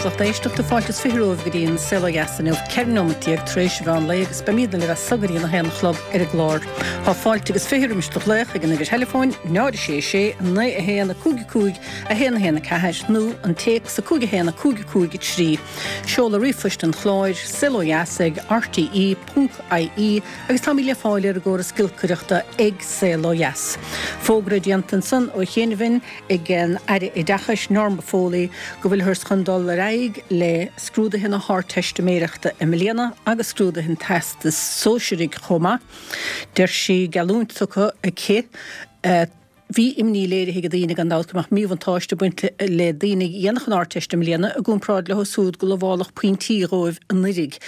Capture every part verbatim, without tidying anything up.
leis lucht éisteachta fáilte is fiche romhaibh go dtí an Saol Ó Dheas inniu ceithre nóiméad déag tar éis an mheán lae agus beimidne libh as so go dtí a haon a chlog ar an gclár. Tá fáilte agus fiche roimis do ghlaoch ag an uimhir theileafóin náid sé sé naoi a haon a cúig cúig a haon a haon a ceathair nó an téacs a cúig a haon a cúig cúig a trí. Seoladh ríomhphoist an chláir saol ó dheas ag RTE ponc IE agus táimid le fáil ar an gcóras giolcaireachta ag Saol Ó Dheas. Fógra déanta ansan ó chianaibh ag an Aire Oideachais Norma Foley go bhfuilthear chun dul ar aghaidh le scrúduithe na hArdteistiméireachta i mbliana agus scrúduithe an Teastais Sóisearaigh chomh maith. Deir sí geallúint tugtha aici bhí imní léirithe ag daoine gan dabht go mbeadh míbhuntáiste ag baint le daoine a dhéanfadh an Ardteist i mbliana i gcomparáid leo siúd go lamhálfadh pointí dhóibh anuraidh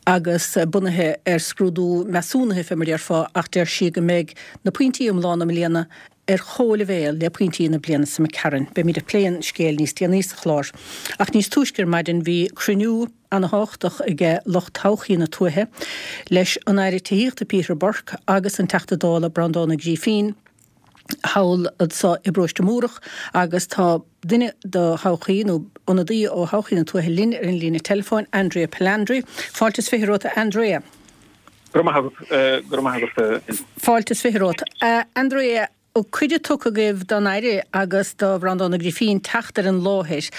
agus bunaithe ar scrúdú measúnaithe fé mar déarfá ach deir sí go mbeidh na pointí iomlána i mbliana ar chomhleibhéal le pointí na bliana seo imigh tharainn. Beimid ag plé an scéil níos déanaí sa chlár. Ach níos túisce ar maidin bhí cruinniú an-tábhachtach ag lucht todhchaí na tuaithe leis an Aire Tithíochta Peter Burke agus an Teachta Dála Breandán Ó Grífín thall anso i bParóiste Múrach agus tá duine do thodhchaí nó ionadaí ó thodhchaí na tuaithe linn ar an líne telefóin Andrea Palandri. Fáilte is fiche romhat Andrea. Fáilte is fiche romhat. Andrea, cuireadh tugtha agaibh don Aire agus do Bhreandán Ó Grífín teacht ar an láthair.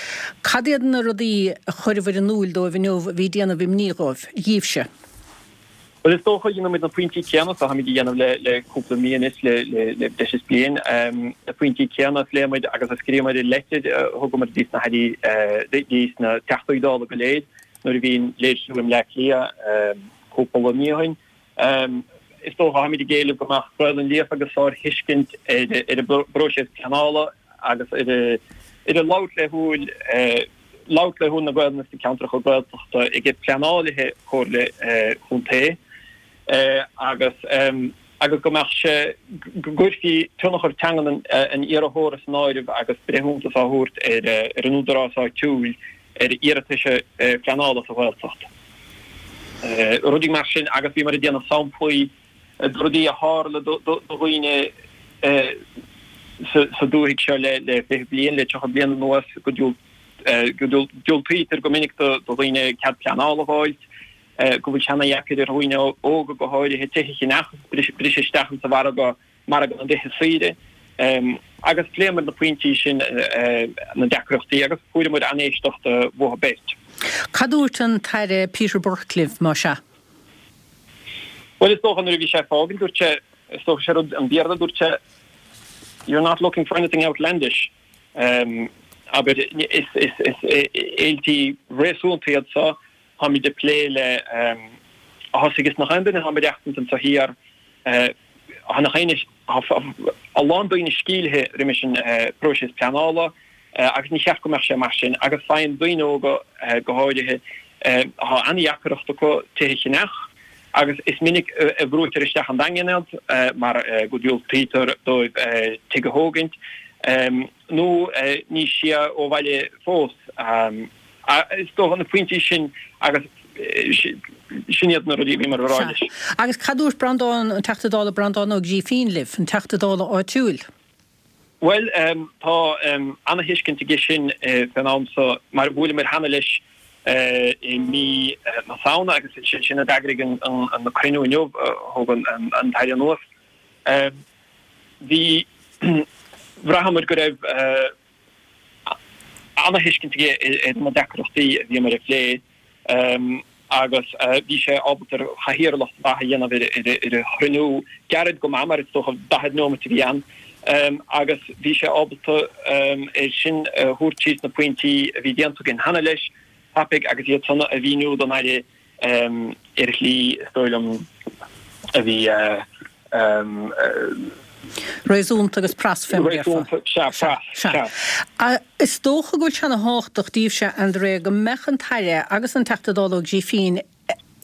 Cad iad na rudaí a chuireabhair in iúl dóibh inniu a bhí ag déanamh imní dhóibh, dhíbhse? Well is dócha dhéanamh na pointí céanna táimid a dhéanamh le le cúpla mí anois le le le breis is bliain na pointí céanna a phléigh muid agus a scríobhamar i leitir thugamar dtí na hairí dtí na Teachtaí Dála go léir nuair a bhí an léirsiú i mBleá Cliath cúpla mí ó shin. Is dócha táimid ag éileamh go mbeadh Gaelainn líofa agus sárthuiscint ar ar an bpróiseas pleanála agus ar ar an labhairt laethúil labhairt laethúil na Gaelainne sna ceantracha Gaeltachta ag pleanálaithe comhairle chontae agus agus go mbeadh sé go gcuirfí tionchar teangan an iarrthóra san áireamh agus breithiúntas á thabhairt ar ar an údarás áitiúil ar iarratais pleanála sa Ghaeltacht. Rudaí mar sin agus bhíomar ag déanamh samplaí de rudaí a tharla do dhaoine sa dúthaigh seo le le fiche bliain, le tríocha bliain anuas go diúltaítear go minic do dhaoine cead pleanála a fháilt, go bhfuil sé ana-dheacair ar dhaoine óga go háirithe tithe a cheannach, briseadh isteach insa mhargadh, margadh na dtithe saoire. Agus phléamar na pointí sin, na deacrachtaí agus fuaireamar an-éisteacht uathu beirt. Cad dúirt an tAire Peter Burke libh, más ea? Bhuel, is dócha nuair a bhí sé ag fágaint, dúirt sé, is dócha sé rud an Bhéarla, dúirt sé, you're not looking for anything outlandish. Abair, is éiltí réasúnta iad so, táimid ag plé le, thosaigh is nach aon duine atá ag maireachtaint anso thiar, tá nach aon, a lán daoine sceimhlithe roimis an bpróiseas pleanála agus ní cheart go mbeadh sé mar sin agus faigheann daoine óga go háirithe, tá an-deacracht acu tithe a cheannach agus is minic a bhrúitear isteach an Daingean iad mar go diúltaítear dóibh tigh a thógaint nó níos sia ó bhaile fós. Is dócha na pointí sin agus sin iad na rudaí a bhíomar a rá leis. Agus cad dúirt Breandán, an Teachta Dála Breandán Ó Grífín libh, an Teachta Dála áitiúil? Bhuel, tá ana-thuiscint aige sin fén am so mar bhuaileamar cheana leis i mí na Samhna agus sé sin a d'eagraigh an cruinniú inniu a thug an tAire anuas. Bhí, bhraitheamar go raibh ana-thuiscint aige ar na deacrachtaí a bhíomar a phlé agus bhí sé ábalta cathaoirleacht mhaith a dhéanamh ar an chruinniú, gairid go maith mar is dócha daichead neomat a bhí ann, agus bhí sé ábalta é sin a thabhairt síos na pointí a bhí déanta againn cheana leis tapaidh agus iad san a mhíniú don Aire ar shlí, is dóigh liom, a bhí. Réasúnta agus pras fé mar a déarfá. Réasúnta, sea, pras, sea. Is dócha go bhfuil sé ana thábhachtach daoibhse, Andrea, go mbeadh an tAire agus an Teachta Dála Ó Grífín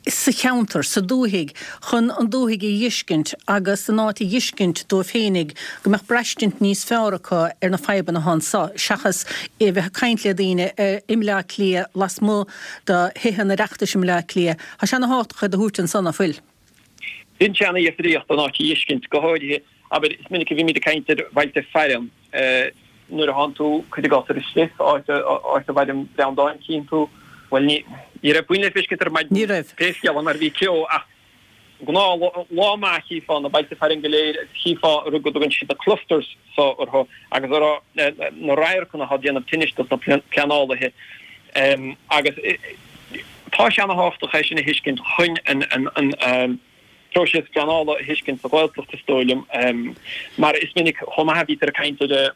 sa cheantar, sa dúthaigh, chun an dúthaigh a dh'fheiscint agus an áit a dh'fheiscint dóibh féinig, go mbeadh braistint níos fearr acu ar na fadhbanna atá anso, seachas a bheith ag caint le daoine i mBleá Cliath, lasmuigh de Thithe an Oireachtais i mBleá Cliath. Tá sé ana thábhachtach iad a thabhairt anso, ná fuil? Dhein sé ana-dhifríocht an áit a dh'fheiscint, go háirithe, abair, is minic a bhímid ag caint ar bhailte fearainn, Nuair a thánn tú, cuir i gcás, ar an Sliff, áit áit a bhfaigheann Breandán, cíonn tú, bhuel, ní ní raibh puinn le feiscint ar maidin. Ní raibh. Pé scéal é mar bhí ceo ach gnáth lá maith chífeá na bailte fearainn go léir agus chífeá an rud go dtugann siad na clusters so orthu agus a rá na radharcanna atá ag déanamh tinnis dos na pleanálaithe agus tá sé ana-thábhachtach é sin a thuiscint chun an an an próiseas pleanála a thuiscint sa Ghaeltacht is dóigh liom mar is minic chomh maith a bhítear ag caint ar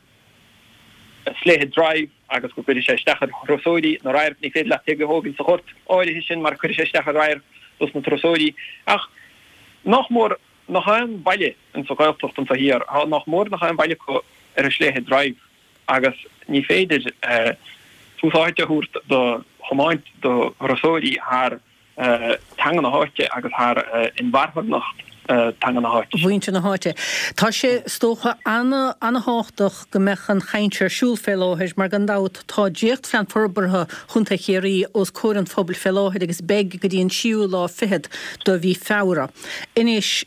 Slea Drive agus go gcuirfidh sé isteach ar thurasóirí na radhairc, ní féidir leat tithe a thógaint sa ghort áirithe sin mar cuirfidh sé isteach ar radharc dos na turasóirí. Ach nach mór nach aon bhaile in sa Ghaeltacht anseo thiar, nach mór nach aon bhaile acu ar an Slea Drive agus ní féidir tús áite a thabhairt do thiomáint do thurasóirí thar teanga na háite agus thar inmharthanacht teanga na háite. mhuintir na háite. Tá sé, is dócha, ana-thábhachtach go mbeadh an chaint ar siúl fé láthair mar gan dabht tá Dréachtphlean Forbartha Chontae Chiarraí os comhair an phobail fé láthair agus beidh go dtí an séú lá fichead de mhí Feabhra. Anois,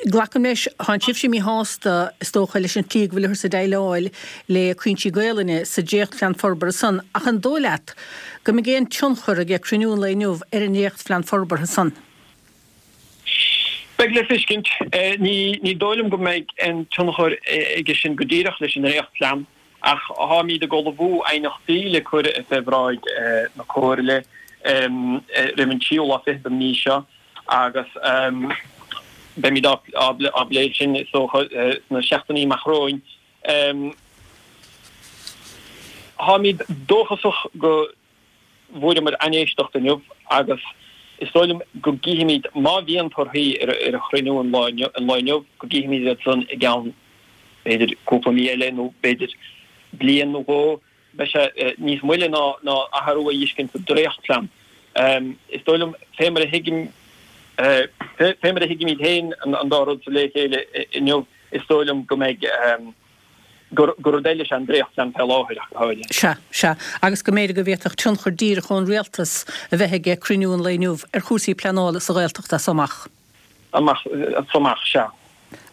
Glacaim leis, thánn sibhse míshásta, is dócha, leis an tslí go bhfuilthear ag déileáil le cúinsí Gaelainne sa dréachtphlean forbartha san, ach an dóigh leat go mbeidh aon tionchar ag cruinniú an lae inniu ar an ndréachtphlean forbartha san? Beidh le feiscint. Ní dóigh liom go mbeidh aon tionchar aige sin go díreach leis an ndréachtphlean, ach táimid ag ullmhú aighneachtaí le cur fé bhráid na Comhairle roimh an tríú lá fichead den mhí seo agus beimid á bplé sin is dócha sna seachtainí amach romhainn. Táimid dóchasach go bhfuaireamar an-éisteacht inniu agus is dóigh liom go gcífimid, má bhíonn torthaí ar an chruinniú an lá inniu, go gcífimid iad san i gceann b'fhéidir cúpla mí eile nó b'fhéidir bliain nó dhó. Beidh sé níos moille ná ná athrú a fheiscint sa dréachtphlean. Is dóigh liom, fé mar a thuigim, fé mar a thuigimid féin an dá rud so le chéile inniu, is dóigh liom go mbeidh, gur rud eile is ea an dréachtphlean fé láthair ach go háirithe. Sea, sea. Agus go mb'fhéidir go bhféadfadh tionchar díreach ón rialtas a bheith aige cruinniú an lae inniu ar chúrsaí pleanála sa Ghaeltacht as so amach. Amach, as so amach, sea.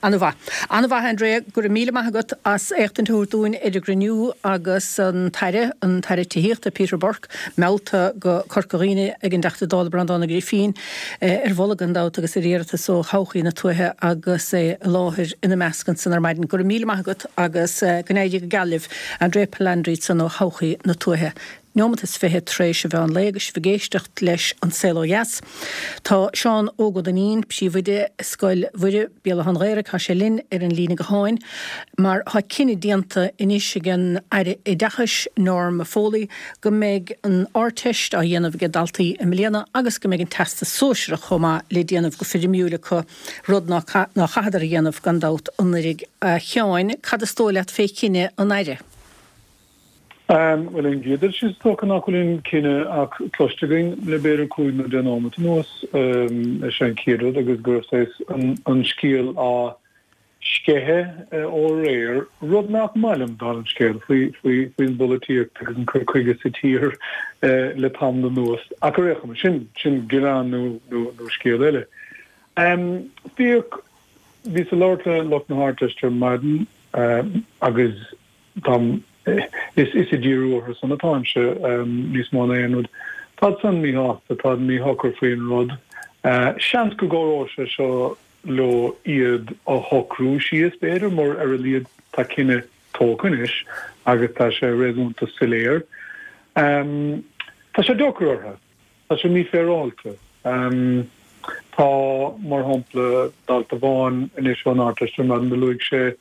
An-mhaith. An-mhaith, Andrea. Go raibh míle maith agat as éachtaint a thabhairt dúinn ar an gcruinniú agus an tAire, an tAire Tithíochta, Peter Burke, meallta go Corca Dhuibhne ag an dTeachta Dála Breandán Ó Grifín, ar mholadh gan dabht agus ar iarratas ó Thodhchaí na Tuaithe agus é i láthair ina measc ansan ar maidin. Go raibh míle maith agat agus go n-éirí go geal libh. Andrea Palandri ansan ó Thodhchaí na Tuaithe. Neomat is fiche tar éis an mheán lae agus sibh ag éisteacht leis An Saol Ó Dheas. Tá Seán Óg Ó Duinnín, príomhoide Scoil Mhuire, Béal Átha an Ghaorthaidh, tá sé linn ar an líne gutháin mar tá cinneadh déanta anois ag an Aire Oideachais, Norma Foley, go mbeidh an Ardteist á dhéanamh ag daltaí i mbliana agus go mbeidh an Teastas Sóisearach chomh maith le déanamh go foirmiúil acu, rud ná chaitheadar a dhéanamh gan dabht anuraidh. A Sheáin, cad is dóigh leat fé chinneadh an Aire? Bhuel, an gcéad dul síos, is dócha nach bhfuil an cinneadh ach cloiste againn le b'fhéidir cúig nó deich nóimeat anuas, is é an chéad rud, agus go raibh saghas an scéal á sceitheadh ó aréir, rud nach maith liom, dála an scéil, faoin bpolaitíocht agus an cur chuige sa tír le tamall anuas. Ach ar aon chuma, sin sin gearán nó nó scéal eile. Bhíodh, bhíos ag labhairt le lucht na hArdteiste ar maidin agus táim, is ag díriú orthu san atáimse níos mó ná aon rud. Táid san míshásta, táid míshocair faoin rud. Seans go gcabhróidh sé seo leo iad a shocrú síos, b'fhéidir, mar ar a laghad tá cinneadh tógtha anois agus tá sé réasúnta soiléir. Tá sé deacair orthu. Tá sé mífhéaráilte. Tá, mar shampla, dalta amháin anois ón Ardteist ar maidin, do luaigh sé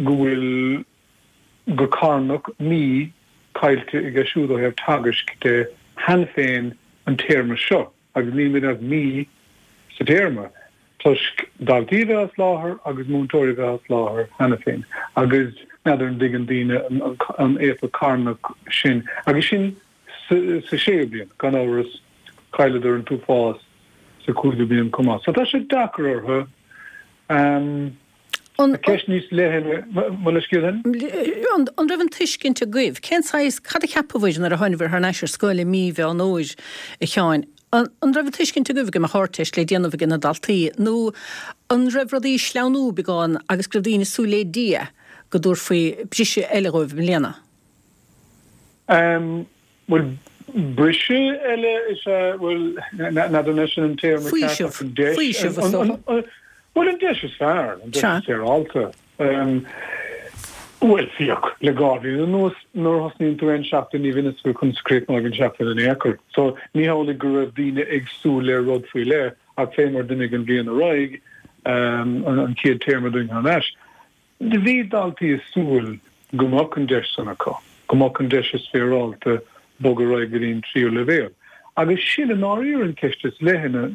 go bhfuil go carnach mí caillte aige siúd ó thaobh teagaisc de cheana féin an téarma seo agus níl muid ach mí sa téarma toisc daltaí a bheith as láthair agus múinteoirí a bheith as láthair cheana féin agus n'fheadar an dtuigeann daoine an éifeacht carnach sin agus sin sa séú bliain gan amhras chailleadar an t-uafás sa cúigiú bliain chomh maith so tá sé deacair orthu. An Ceist níos leithne, mo leithscéal féin? An raibh an tuiscint agaibh? Cén saghas, cad a cheapabhair nuair a tháinabhair thar n-ais ar scoil i mí Mheán Fhómhair, a Sheáin? An raibh an tuiscint agaibh go mbeadh Ardteist le déanamh ag na daltaí nó an raibh rudaí ag sleamhnú beagán agus go raibh daoine ag súil le Dia go dtabharfaí briseadh eile dhóibh i mbliana. Bhuel, briseadh eile is ea, bhuel, n'fheadar an é sin an téarma ceart ach an deis. Faoiseamh, is dócha. Bhuel, an deis is fearr, an deis is féaráilte. Bhuel, féach, le dhá bhliain anuas, nuair a thosnaíonn tú aon seachtain, ní bhíonn a fhios agat conas a chríochnóidh an tseachtain in aon chor. So, ní hamhlaidh go raibh daoine ag súil le rud faoi leith, ach fé mar d'imigh an bhliain ar aghaidh, an chéad téarma dúinn thar n-ais, do bhí daltaí ag súil go mbeadh an deis san acu, go mbeadh an deis is féaráilte bogadh ar aghaidh go dtí an tríú leibhéal. Agus sin i ndáiríre an cheist is leithne.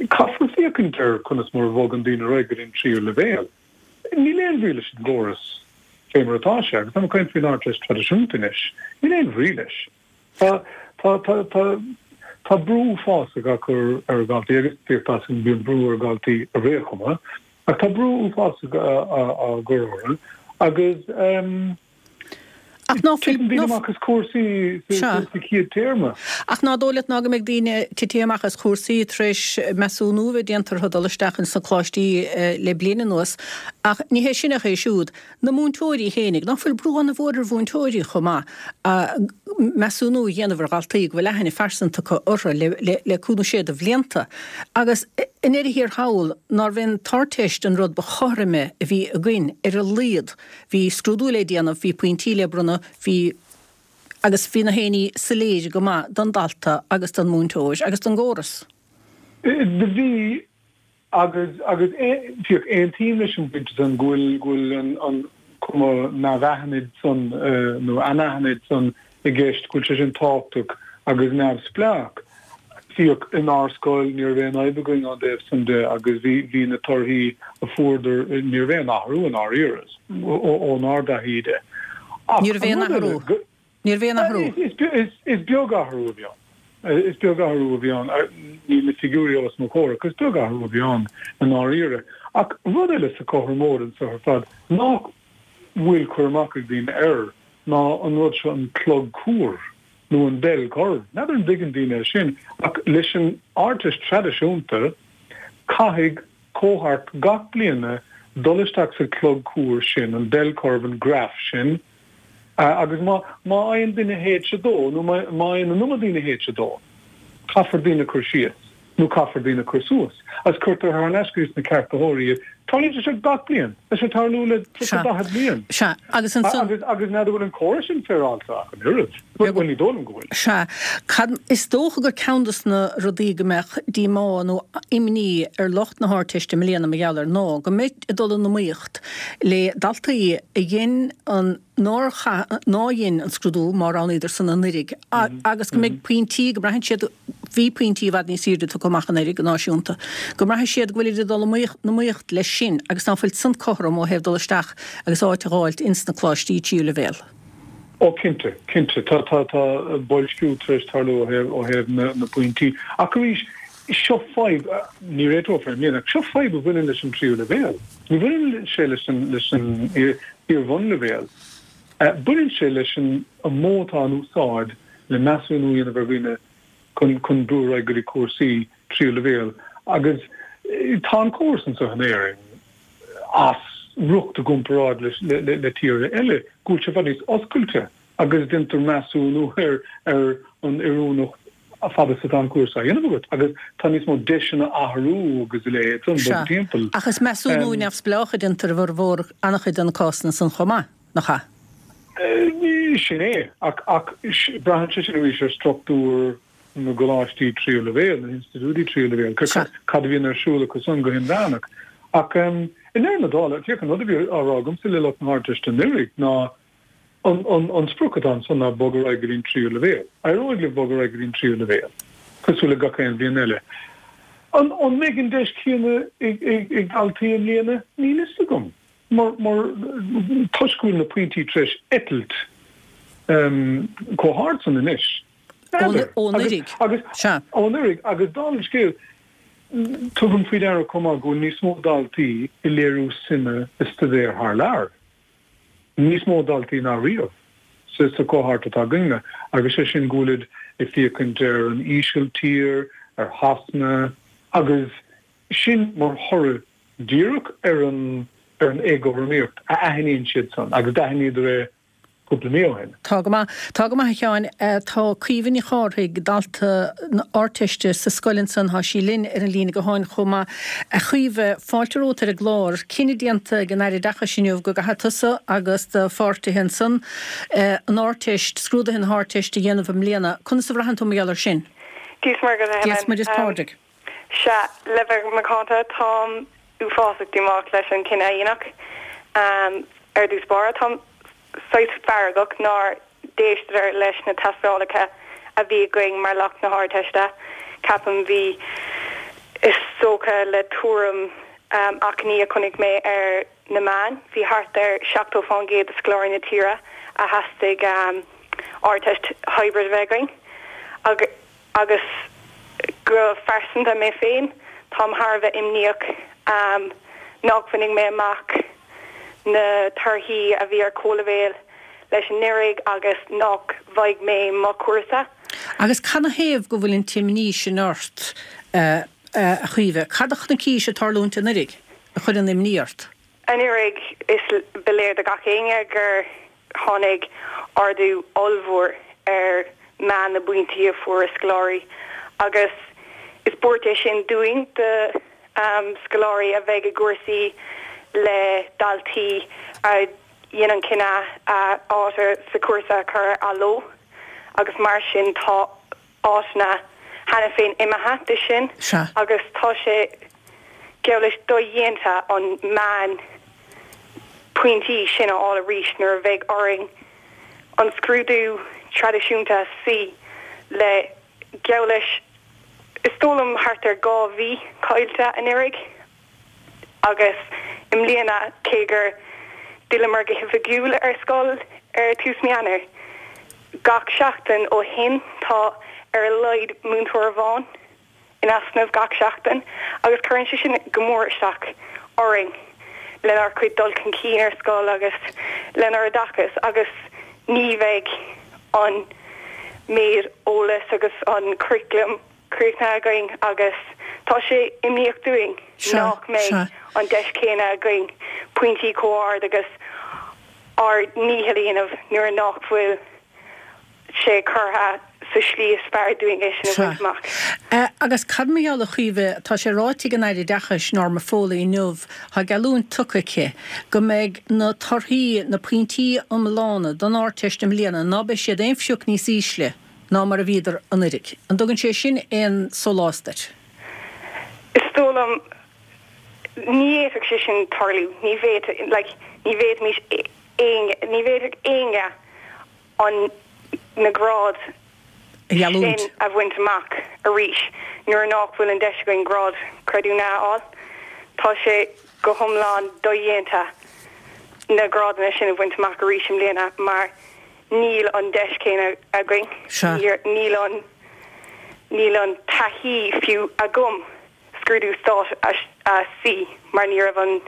Caithfear féachaint ar conas mar a bhogann daoine ar aghaidh go dtí an tríú leibhéal. Níl aon bhrí leis an gcóras fé mar atá sé, agus táim ag caint faoin Ardteist traidisiúnta anois, níl aon bhrí leis. Tá, tá, tá, tá, tá brú uafásach á chur ar dhaltaí, agus bíodh tá a fhios agam bíonn brú ar dhaltaí ar aon chuma, ach tá brú uafásach á gcur orthu agus Ach ná fuil, titeann daoine amach as cúrsaí sa chéad téarma. Ach ná dóigh leat ná go mbeidh daoine titithe amach as chúrsaí tar éis measúnú a bheith déanta orthu dul isteach ins na coláistí le bliain anuas. Ach ní hé sin ach é siúd. Na múinteoirí fhéinig, ná fuil brú an-mhór ar mhúinteoirí chomh maith measúnú a dhéanamh ar dhaltaí go bhfuil aithne phearsanta acu orthu le le cúig nó sé de bhlianta. Agus i ndeireadh thiar thall, nárbh é an tArdteist an rud ba chothroime a bhí againn ar a laghad. Bhí scrúdú le déanamh, bhí pointí le bronnadh, bhí agus bhí na haon ní soiléir go maith don dalta agus don múinteoir agus don gcóras. Do bhí agus agus féach, aontaím leis an bpointe san go bhfuil go bhfuil an an cuma neamhaithnid san nó anaithnid san i gceist, go bhfuil sé sin tábhachtach agus neamhspleách. Féach, inár scoil ní raibh aon fhadhb againn ón dtaobh san de agus bhí bhí na torthaí a fuaireadar, ní raibh aon athrú i ndáiríre ónár dtaithí de. Ach Ní raibh aon athrú. Ní raibh aon athrú. Is is is beag athrú a bhí ann. Is beag athrú a bhí ann. Níl na figiúirí os mo chomhair ach is beag athrú a bhí ann i ndáiríre. Ach rud eile sa chothromóid anseo ar fad nach bhfuil cur amach ag daoine air ná an rud seo an clog cuar nó an bell curve. N'fheadar an dtuigeann daoine é sin, ach leis an Ardteist traidisiúnta, caithfidh cohort gach bliana dul isteach sa chlog cuar sin, an bell curve, an graf sin, agus má má fhaigheann duine H a dó nó má má fhaigheann an iomad daoine H a dó, caithfear daoine a chur síos nó caithfear daoine a chur suas, agus cuirtear thar n-ais go dtí na ceartaitheoirí iad. Tarlaíonn sé seo gach bliain. Tá sé ag tarlú le tríocha, daichead bliain. Sea, agus ansan. Agus, agus n'fheadar bhfuil an córas sin féaráilte ach an oiread. Bhuel, ní dóigh liom go bhfuil. Sea. Cad, is dócha gur ceann dos na rudaí go mbeadh díomá nó imní ar lucht na hArdteiste i mbliana mar gheall air ná go mbeid ag dul in iomaíocht le daltaí a dhein an, nár chaith, nár dhein an scrúdú má roghnaíodar san anuiridh agus go mbeidh pointí, go mbraitheann siad, bhí pointí i bhfad níos airde tugtha amach anuiridh go náisiúnta, go mbraithfidh siad go bhfuilid ag dul in iomaíocht leis sin agus ná fuil san cothrom ó thaobh dul isteach agus áit a dh'fháilt ins na coláistí tríú leibhéal. Ó cinnte, cinnte. Tá, tá, tá boilsciú tar éis tarlú ó thaobh, ó thaobh na, na bpointí. Ach arís, seo fadhb, ní réiteofar i mbliana, ach seo fadhb a bhaineann leis an tríú leibhéal. Ní bhaineann sé leis an, leis an iar-bhunleibhéal. Baineann sé leis an modh atá in úsáid le measúnú a dhéanamh ar dhaoine chun, chun brú ar aghaidh go dtí cúrsaí tríú leibhéal. Agus tá an córas anseo in Éirinn as riocht i gcomparáid le, le, le tíortha eile, go bhfuil sé i bhfad níos oscailte agus déantar measúnú ar, ar an oiriúnacht a fad is atá an cúrsa á dhéanamh agat agus tá níos mó deiseanna athrú agus a leithéid san, Sea, bogadh timpeall. ach is measúnú neamhspleách a déantar i bhformhór an-chuid de na cásanna san chomh maith, nach ea? Sin é, ach, ach braitheann sé sin arís ar struchtúr na gcoláistí tríú leibhéal, na hinstitiúidí tríú leibhéal, Sea. cad a bhíonn ar siúl acu san go hinmheánach. Ach i ndeireadh na dála, féach, an rud a bhí á rá agamsa le lucht na hArdteiste anuraidh ná an, an, an sprioc atá ansan ná bogadh ar aghaidh go dtí an tríú leibhéal. Éireoidh libh bogadh ar aghaidh go dtí an tríú leibhéal, cosúil le gach aon bhliain eile. An, an mbeidh an deis chéanna ag, ag, ag daltaí i mbliana? Níl fhios agam. Mar, mar, toisc go bhfuil na pointí tar éis eitilt chomh hard san anois. N'fheadar. Ó anuraidh. Agus, Sea. ó anuraidh, agus dála an scéil, tugaim faoi deara chomh maith go bhfuil níos mó daltaí ag léiriú suime i staidéar thar lear. Níos mó daltaí ná riamh sa sa cohort atá againne, agus sé sin go bhfuilid ag féachaint ar an Ísiltír, ar Shasana, agus sin mar thoradh díreach ar an ar an éagothromaíocht a aithníonn siad san agus d'aithníodar é cúpla mí ó shin. Tá go maith. Tá go maith a Sheáin. Tá Caoimhe Ní Chárthaigh, dalta na Ardteiste sa scoil ansan, tá sí linn ar an líne gutháin chomh maith. A Chaoimhe, fáilte romhat ar an gclár. Cinneadh déanta ag an Aire Oideachais inniu go gcaithfidh tusa agus do pháirtithe ansan an Ardteist, scrúduithe na hArdteiste a dhéanamh i mbliana. Conas a bhraitheann tú mar gheall air sin? Dia is Muire dhuit, a Helen. Dia is Muire is Pádraig. Sea, le bheith macánta, táim uafásach díomách leis an cinneadh a deineadh. Ar dtús báire, táim saghas feargach nár d'éisteadar leis na tástálacha a bhí againn mar lucht na hArdteiste. Ceapaim, bhí, is dócha le tuairim achainí a chonaic mé ar na meáin, bhí thart ar seachtó fán gcéad de scoláirí na tíre a theastaigh Ardteist hybrid a bheith againn. Agus go phearsanta mé féin, táim thar a bheith imníoch nach bhfaigheadh mé amach na torthaí a bhí ar comhleibhéal leis anuraidh agus nach bhfaighidh mé mo chúrsa. Agus canathaobh go bhfuil an t-imní sin ort, a Chaoimhe? Cad a chonaicís ag tarlúint anuraidh a chuir an imní ort? Anuraidh, is ba léir do gach éinne gur tháinig ardú ollmhór ar meán na bpointí a fuair scoláirí agus is buairt é sin dúinn, do scoláirí a bheidh i gcúrsaí le daltaí a dhein an cinneadh a áit sa chúrsa a chur ar athló agus mar sin tá áiteanna cheana féin imithe de sin agus tá sé geall leis dodhéanta an meán pointí sin a fháil arís nuair a bheidh orainn an scrúdú traidisiúnta a suí le geall leis is dóigh liom thart ar dhá mhí caillte anuraidh agus i mbliana cé gur d'fhilleamar go hoifigiúil ar scoil ar tús mí Eanáir gach seachtain ó shin tá ar a laghad múinteoir amháin in easnamh gach seachtain agus cuireann sé sin go mór isteach orainn lenár gcuid dul chun cinn ar scoil agus lenár oideachas agus ní bheidh an méid eolais agus an curriculum críochnaithe againn agus tá sé imníoch dúinn nach mbeidh an deis chéanna againn pointí chomh ard agus ár ndícheall a dhéanamh nuair nach bhfuil sé curtha sa slí is fearr dúinn é sin a bhaint amach. Agus cad mar gheall, a Chaoimhe, tá sé ráite ag an Aire Oideachais, Norma Foley inniu, tá geallúint tugtha aici go mbeidh na torthaí, na pointí iomlána don Ardteist i mbliana, ná beidh siad aon phioc níos ísle ná mar a bhíodar anuiridh. An dtugann sé sin aon sólás duit? Is dóigh liom, ní fhéadfadh sé sin tarlú. Ní bhféadfadh, like, ní bhféadfaimis éinne, ní bhféadfadh éinne an na gráid sin a bhaint amach arís nuair nach bhfuil an deis againn grád creidiúnaithe a fháil. Tá sé go hiomlán dodhéanta na grádanna sin a bhaint amach arís i mbliana mar níl an deis chéanna againn, níl an níl an taithí fiú agam scrúdú stáit a suí mar ní raibh an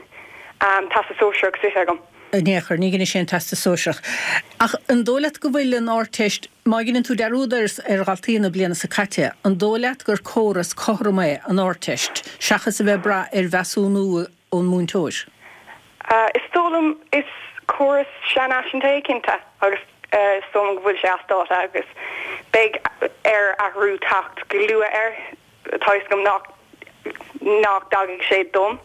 Teastas Sóisearach suite agam. In aon chor, ní dhein sé an Teastas Sóisearach. Ach an dóigh leat go bhfuil an Ardteist, má dheineann tú dearúd ar ar dhaltaí na bliana seo caite, an dóigh leat gur córas cothrom é an Ardteist, seachas a bheith ag brath ar mheasúnú ón múinteoir? Is dóigh liom, is córas seanfhaiseanta é cinnte agus is dóigh liom go bhfuil sé as dáta agus beidh ar athrú teacht go luath air. Tá fhios agam nach nach dtagfaidh sé dom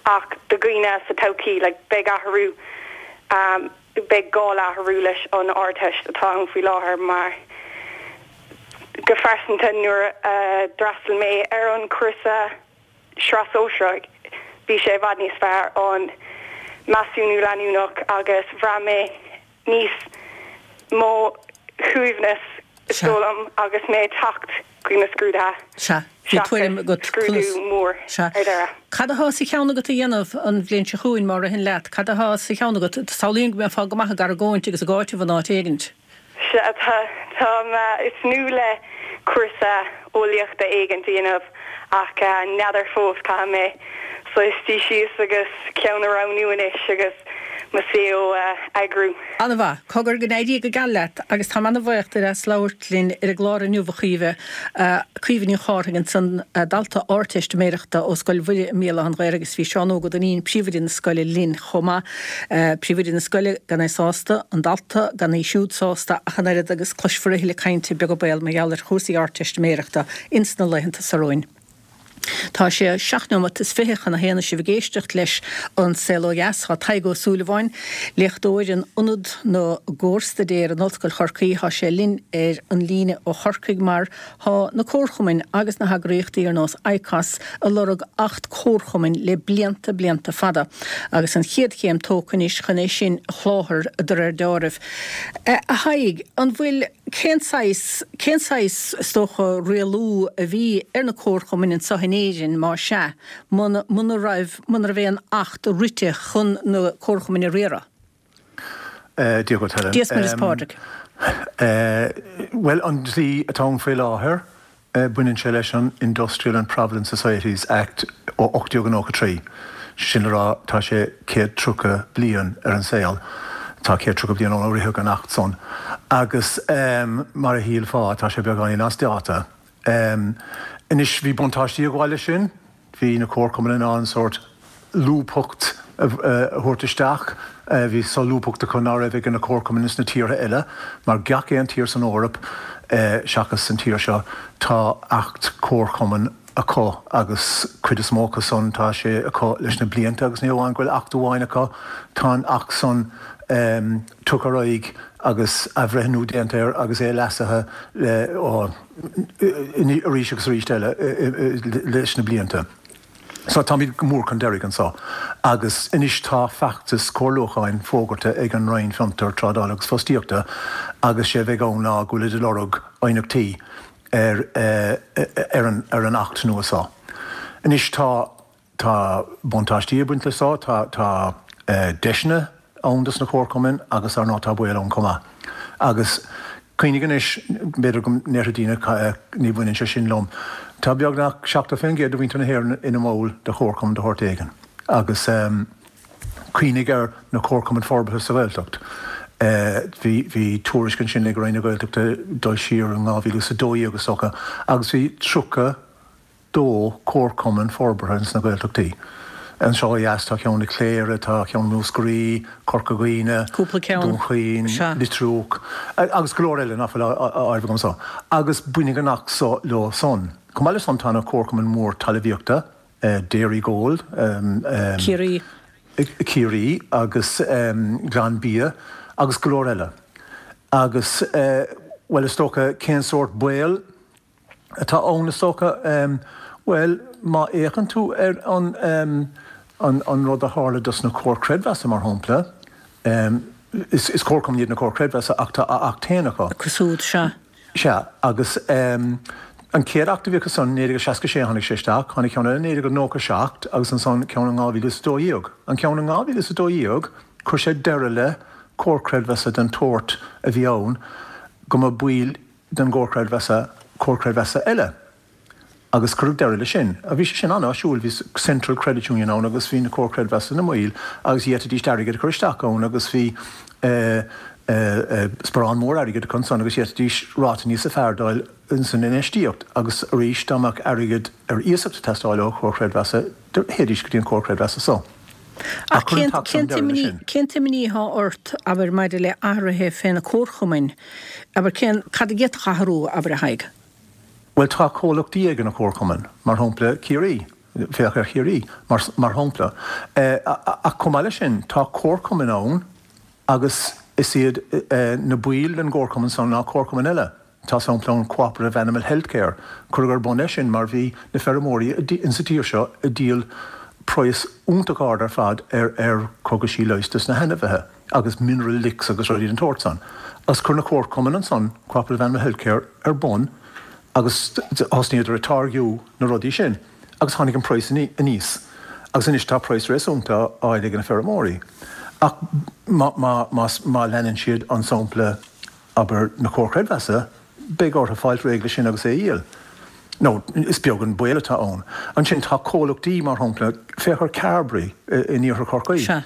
ach do dhaoine sa todhchaí like beidh athrú beidh gá le athrú leis an Ardteist atá ann faoi láthair mar go phearsanta nuair a d'fhreastail mé ar an chúrsa sraith sóisearach bhí sé i bhfad níos fearr an measúnú leanúnach agus bhraith mé níos mó shuaimhneas is dóigh liom agus mé ag teacht chuig na scrúduithe Sea, bhí tuairim agat seachas scrúdú conas. mór Sea. ar deireadh. Cad atá sa cheann agat a dhéanamh an bhliain seo chugainn, má ritheann leat? Cad atá sa cheann agat? Samhlaím go mbeifeá go maith ag argóint agus ag áiteamh in áit éigint. Sea, tá, táim ag tnúth le cúrsa eolaíochta éigint a dhéanamh ach n'fheadar fós, caithfidh mé saghas suí síos agus ceann a roghnú anois agus mo saol a eagrú. An-mhaith. Cogar go n-éirí go geal leat agus táim an-bhuíoch díot as labhairt linn ar an gclár inniu a Chaoimhe. Caoimhe Ní Chárthaigh ansan, dalta Ardteistiméireachta ó Scoil Mhuire i mBéal Átha an Ghaorthaidh agus bhí Seán Óg Ó Duinnín, príomhoide na scoile linn chomh maith. Príomhoide na scoile gan é sásta, an dalta gan í siúd sásta ach an oiread agus cloisfear a thuilleadh cainte beag an baol mar gheall ar chúrsaí Ardteistiméireachta ins na laethanta seo romhainn. Tá sé seacht nóimeat is fiche chun a haon is sibh ag éisteacht leis An Saol Ó Dheas. Tá Tadhg Ó Súilleabháin, léachtóir in Ionad na gComharstaidéar in Ollscoil Chorcaí, tá sé linn ar an líne ó Chorcaigh mar tá na comharchumainn agus na heagraíochtaí ar nós ICOS ag lorg Acht Comharchumainn le blianta blianta fada agus an chéad chéim tógtha anois chun é sin a sholáthar de réir dealraimh. A Thaidhg, an bhfuil, cén saghas, cén saghas, is dócha, rialú a bhí ar na comharchumainn anseo in Éirinn, má sea, muna, muna raibh, muna raibh aon Acht rite chun na comharchumainn a riaradh? Dia dhuit, Helen. Dia is Muire is Pádraig. Bhuel, an dlí atá ann faoi láthair, Baineann sé leis an Industrial and Provident Societies Act ó ocht déag nócha trí, sin le rá tá sé céad tríocha bliain ar an saol, tá céad tríocha bliain ó ritheadh an Acht san agus mar a shílfeá tá sé beagáinín as dáta. Anois bhí buntáistí ag gabháil leis sin, bhí na comharchumainn in ann sórt lúbthacht a thabhairt isteach. Bhí solúbthacht acu nach raibh ag na comharchumainn sna tíortha eile, mar gach aon tír san Eoraip seachas an tír seo, tá Acht Comharchumann acu agus cuid is mó acu san tá sé acu leis na blianta agus ní amháin go bhfuil Acht amháin acu, tá an Acht san tugtha ar aghaidh agus athbhreithniú déanta air agus é leasaithe arís agus arís eile leis na blianta. So táimid go mór chun deiridh anseo agus anois tá feachtas comhairliúcháin fógartha ag an Roinn Fiontar, Trádála agus Fostaíochta agus sé a bheidh ann ná go bhfuilid ag lorg aighneachtaí ar ar an ar an Acht nua seo. Anois tá tá buntáistí ag baint le seo, tá tá deiseanna ann dos na comharchumainn agus ar ndóigh tá baol ann chomh maith. Agus cuimhnigh anois, b'fhéidir go ndéarfaidh daoine ní bhaineann sé sin liom, tá beagnach seachtó faoin gcéad de mhuintir na hÉireann ina mball de chomharchumann de shórt éigin. Agus cuimhnigh ar na comharchumainn forbartha sa Ghaeltacht. Bhí bhí tuairisc ansin ag Roinn na Gaeltachta dul siar in dhá mhíle is a dó dhéag is dócha agus bhí tríocha dó comharchumann forbartha ins na Gaeltachtaí. Anseo ó dheas tá ceann i Cléire, tá ceann i Múscraí, Corca Dhuibhne, Cúpla ceann. Dún Chaoin, Sea. Leitir Fraic, agus go leor eile nach bhfuil á áireamh agam anseo. Agus bainfidh an Acht so leo san. Chomh maith le san tá na comharchumainn mór talmhaíochta, Dairygold, Ciarraí. Ciarraí agus Glanbia agus go leor eile. Agus, bhuel, is dócha cén sórt baol atá ann is dócha? Bhuel, má fhéachann tú ar an an rud a tharla dos na Comhair Creidmheasa mar shampla, is is comharchumainn iad na Comhair Creidmheasa ach tá a Acht féin acu. Acu siúd, sea. Sea, agus an chéad Acht a bhí acu san, naoi déag seasca sé tháinig sé isteach, tháinig ceann eile naoi déag nócha seacht agus ansan ceann in dhá mhíle is a dó dhéag. An ceann in dhá mhíle is a dó dhéag, chuir sé deireadh le Comhar Creidmheasa den tsórt a bhí ann go mba baill den gcomhar creidmheasa comhar creidmheasa eile agus cuireadh deireadh leis sin. Bhí sé sin an-áisiúil, bhí Central Credit Union ann agus bhí na comhair creidmheasa ina mbaill agus d'fhéadfaidís airgead a chur isteach ann agus bhí sparán mór airgid acu ansan agus d'fhéadfaidís ráta níosa fearr d'fháil ins an infheistíocht agus arís dá mbeadh airgead ar iasacht ag teastáil ó chomhar creidmheasa théidís go dtí an comhar creidmheasa so. Ach cén cén t-imní atá ort, abair, maidir le athruithe fé na comharchumainn, abair, cén, cad a d'fhéadfadh athrú, abair, a Thaidhg? Bhuel, tá comhlachtaí ag na comharchumainn, mar shampla Ciarraí, féach ar Chiarraí, mar, mar shampla. Ach chomh maith leis sin, tá comharchumainn ann agus is iad na baill den gcomharchumann san ná comharchumainn eile. Tá sampla ann Cooperative Animal Healthcare. Cuireadh ar bun é sin mar bhí na feirmeoirí insa tír seo ag díol praghas iontach ard ar fad ar ar cogaisí leighis dos na hainmhithe agus mineral licks agus rudaí den tsórt san. Agus chuir na comharchumainn ansan Cooperative Animal Healthcare ar bun agus thosnaíodar ag táirgiú na rudaí sin agus tháinig an praghas aníos agus anois tá praghas réasúnta á fháil ag na feirmeoirí. Ach má má má leanann siad an sampla abair na comhair chreidmheasa, beidh orthu fáilt réidh leis sin agus é a dhíol. Nó is beag an baol atá ann. Ansin tá comhlachtaí, mar shampla, féach ar Carbery in iarthar Chorcaí. Sea.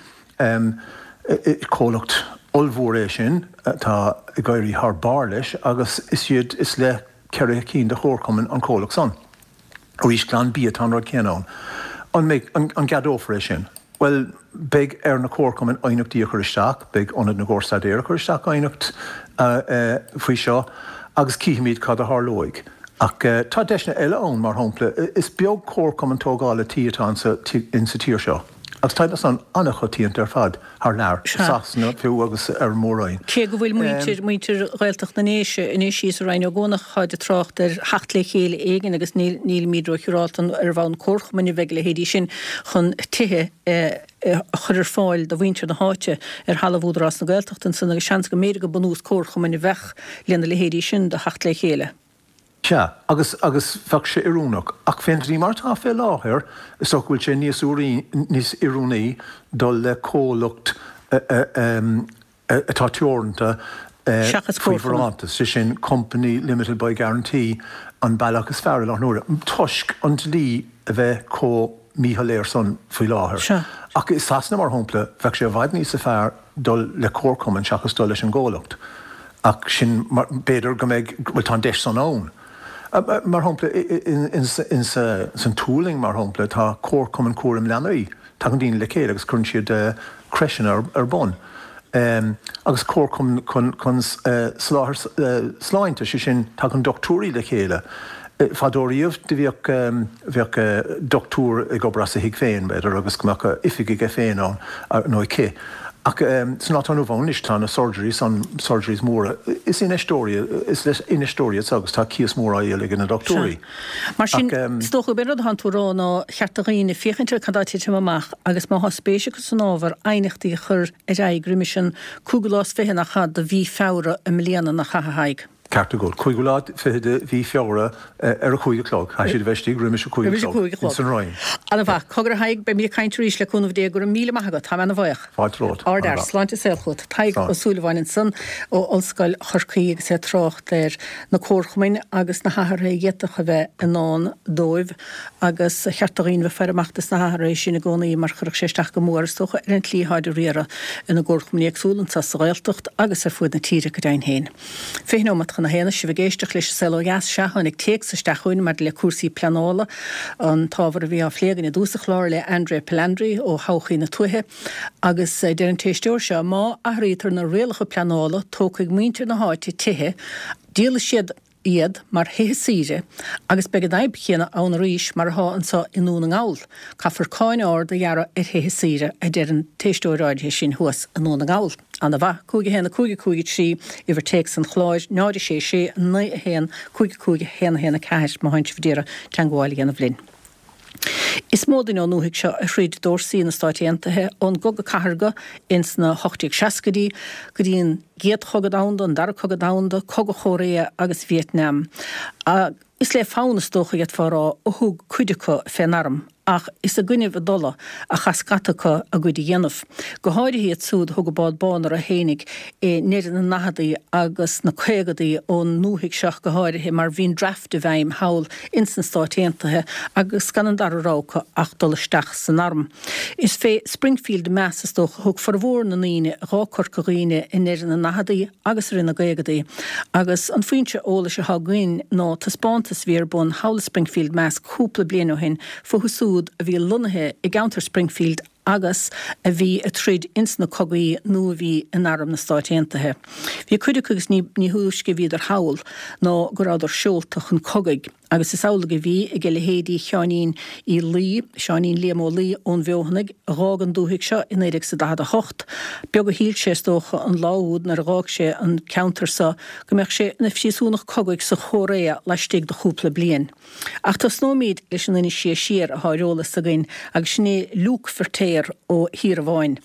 Comhlacht ollmhór é sin atá ag éirí thar barr leis agus is iad is le ceithre cinn de chomharchumainn an comhlacht san. Arís Glanbia tá an rud céanna ann. An mbeidh, an gceadófar é sin? Bhuel, beidh ar na comharchumainn aighneachtaí a chur isteach, beidh Ionad na gCorr-Staidéar ag cur isteach aighneacht faoi seo agus cífimid cad a tharlóidh. Ach tá deiseanna eile ann, mar shampla, is beag comharchumann tógála tí atá insa tír seo. Agus tá san an-choitianta ar fad thar lear, i Sasana fiú agus ar an Mór-Roinn. Cé go bhfuil muintir, muintir Ghaeltacht na nDéise anois thíos i Rinn Ó gCuanach, táid ag trácht ar theacht le chéile éigin agus nílimid ró-shiúráilte an ar bhonn comharchumainn a bheidh a leithéidí sin chun tithe a chur ar fáil do mhuintir na háite ar thalamh Údarás na Gaeltachta ansan agus seans go mb'fhéidir gur bunús comharchumainn a bheadh lena leithéidí sin do theacht le chéile. Sea, agus, agus bheadh sé oiriúnach. Ach fén dlí mar atá fé láthair, is dócha go bhfuil sé níos níos oiriúnaí dul le comhlacht atá teoranta Seachas faoi comharchumann. bharántas, sé sin company limited by guarantee an bealach is fearr i láthair na huaire, toisc an dlí a bheith chomh míshoiléir san faoi láthair. Sea. Ach i Sasana, mar shampla, bheadh sé i bhfad níosa fearr dul le comharchumann seachas dul leis an gcomhlacht. Ach sin, b'fhéidir go mbeidh, bhuel tá an deis san ann. Mar shampla, ins an tSualainn, mar shampla, tá comharchumann cúraim leanaí. Tagann daoine le chéile agus cuireann siad crècheanna ar bun. Agus comharchumann chun soláthar sláinte, sé sin, tagann dochtúirí le chéile. Fadó riamh do bhíodh, bheadh dochtúir ag obair as a thigh féin, b'fhéidir, agus go mbeadh oifig aige féin ann nó aici. Ach san lá atá inniu ann anois tá na surgeries, an surgeries móra, is infheisteoirí, is le infheisteoirí iad so agus tá cíos mór á dhíol ag na dochtúirí. Sea. Mar sin, is dócha gurb é an rud atánn tú a rá ná cheart do dhaoine féachaint ar cad atá ag titim amach agus má thá spéis acu san ábhar, aighneachtaí a chur ar aghaidh roimis an cúigiú lá is fiche nach ea de mhí Feabhra i mbliana, nach ea, a Thaidhg? Ceart agat. Cúigiú lá fiche de mhí Feabhra ar a cúig a chlog. Caithfidh siad a bheith istigh roimis a cúig a chlog ins an Roinn. Ana mhaith. Cogar a Thaidhg, beimid ag caint arís le cúnamh Dé. Go raibh míle maith agat. Táim ana bhuíoch. Fáilte romhat. Ard fhear. Sláinte is saol chugat. Tadhg Ó Súilleabháin ansan ó Ollscoil Chorcaí agus é ag trácht ar na comharchumainn agus na hathruithe a d'fhéadfadh a bheith i ndán dóibh agus ba cheart do dhaoine bheith ag faire amach dos na hathruithe sin i gcónaí mar chuirfeadh sé isteach go mór is dócha ar an tslí atáid ag riaradh ina gcomharchumainn éagsúla anso sa Ghaeltacht agus ar fuaid na tíre go deimhin féin. Fiche nóimeat chun a haon, sibh ag éisteacht leis an Saol Ó Dheas. Sea, tháinig téacs isteach chugainn maidir le cúrsaí pleanála, an t-ábhar a bhí á phlé againn i dtús an chláir le Andrea Palandri ó Thodhchaí na Tuaithe. Agus deir an t-éisteoir seo, má athraítear na rialacha pleanála, tógfaidh muintir na háite tithe, díolfaidh siad iad mar thithe saoire agus beidh an fhadhb chéanna ann arís mar atá anseo i nDún na nGall. Caithfear cáin ard a ghearradh ar thithe saoire, a deir an t-éisteoir áirithe sin thuas i nDún na nGall. Ana mhaith. Cúig a haon a cúig a cúig a trí, uimhir téacs an chláir, náid a sé sé naoi a haon cúig a cúig a haon a haon a ceathair má théann sibh ag iarraidh teangmháil a dhéanamh linn. Is mó duine ón ndúthaigh seo a throid d'fhórsaí na Stáit Aontaithe ón gCogadh Cathartha ins na hocht déag seascaidí go dtí an gCéad Chogadh Domhanda, an Dara Cogadh Domhanda, Cogadh Chóiréa agus Vietnam. Is le fonn, is dócha, d'fhéadfá a rá, a thug cuid acu fén arm, ach is i gcoinnibh a dtola a chaith scata acu a gcuid a dhéanamh. Go háirithe iad súd a thug an bád bán orthu fhéinig i ndeireadh na ndaicheadaí agus na caogadaí ón ndúthaigh seo go háirithe mar bhí an draft i bhfeidhm thall ins na Stáit Aontaithe agus gan an dara rogha acu ach dul isteach san arm. Is fé Springfield, Mass is dócha a thug formhór na ndaoine a dh'fhág Corca Dhuibhne i ndeireadh na ndaicheadaí agus i rith na gcaogadaí agus an foinse eolais atá againn ná taispeántas a bhí ar bun thall i Springfield, Mass cúpla bliain ó shin fúthu súd a bhí lonnaithe i gceantar Springfield agus a bhí ag troid ins na cogaí nó a bhí in Arm na Stáit Aontaithe. Bhí cuid acu agus ní thúisce a bhíodar thall ná go rabhadar seolta chun cogaidh agus is amhlaidh a bhí ag a leithéidí Sheáinín Uí Laoi, Seáinín Liam Ó Laoi ón bhFeothanaigh, a dh'fhág an dúthaigh seo i naoi déag is a daichead a hocht. Beag a shíl sé, is dócha, an lá úd nuair a dh'fhág sé an ceantar so go mbeadh sé ina phríosúnach cogaidh sa Chóiréa laistigh de chúpla bliain. Ach tosnóimid leis an duine is sia siar athá ar eolas againn agus sin é Luke Feirtéar ó Thír Abháin.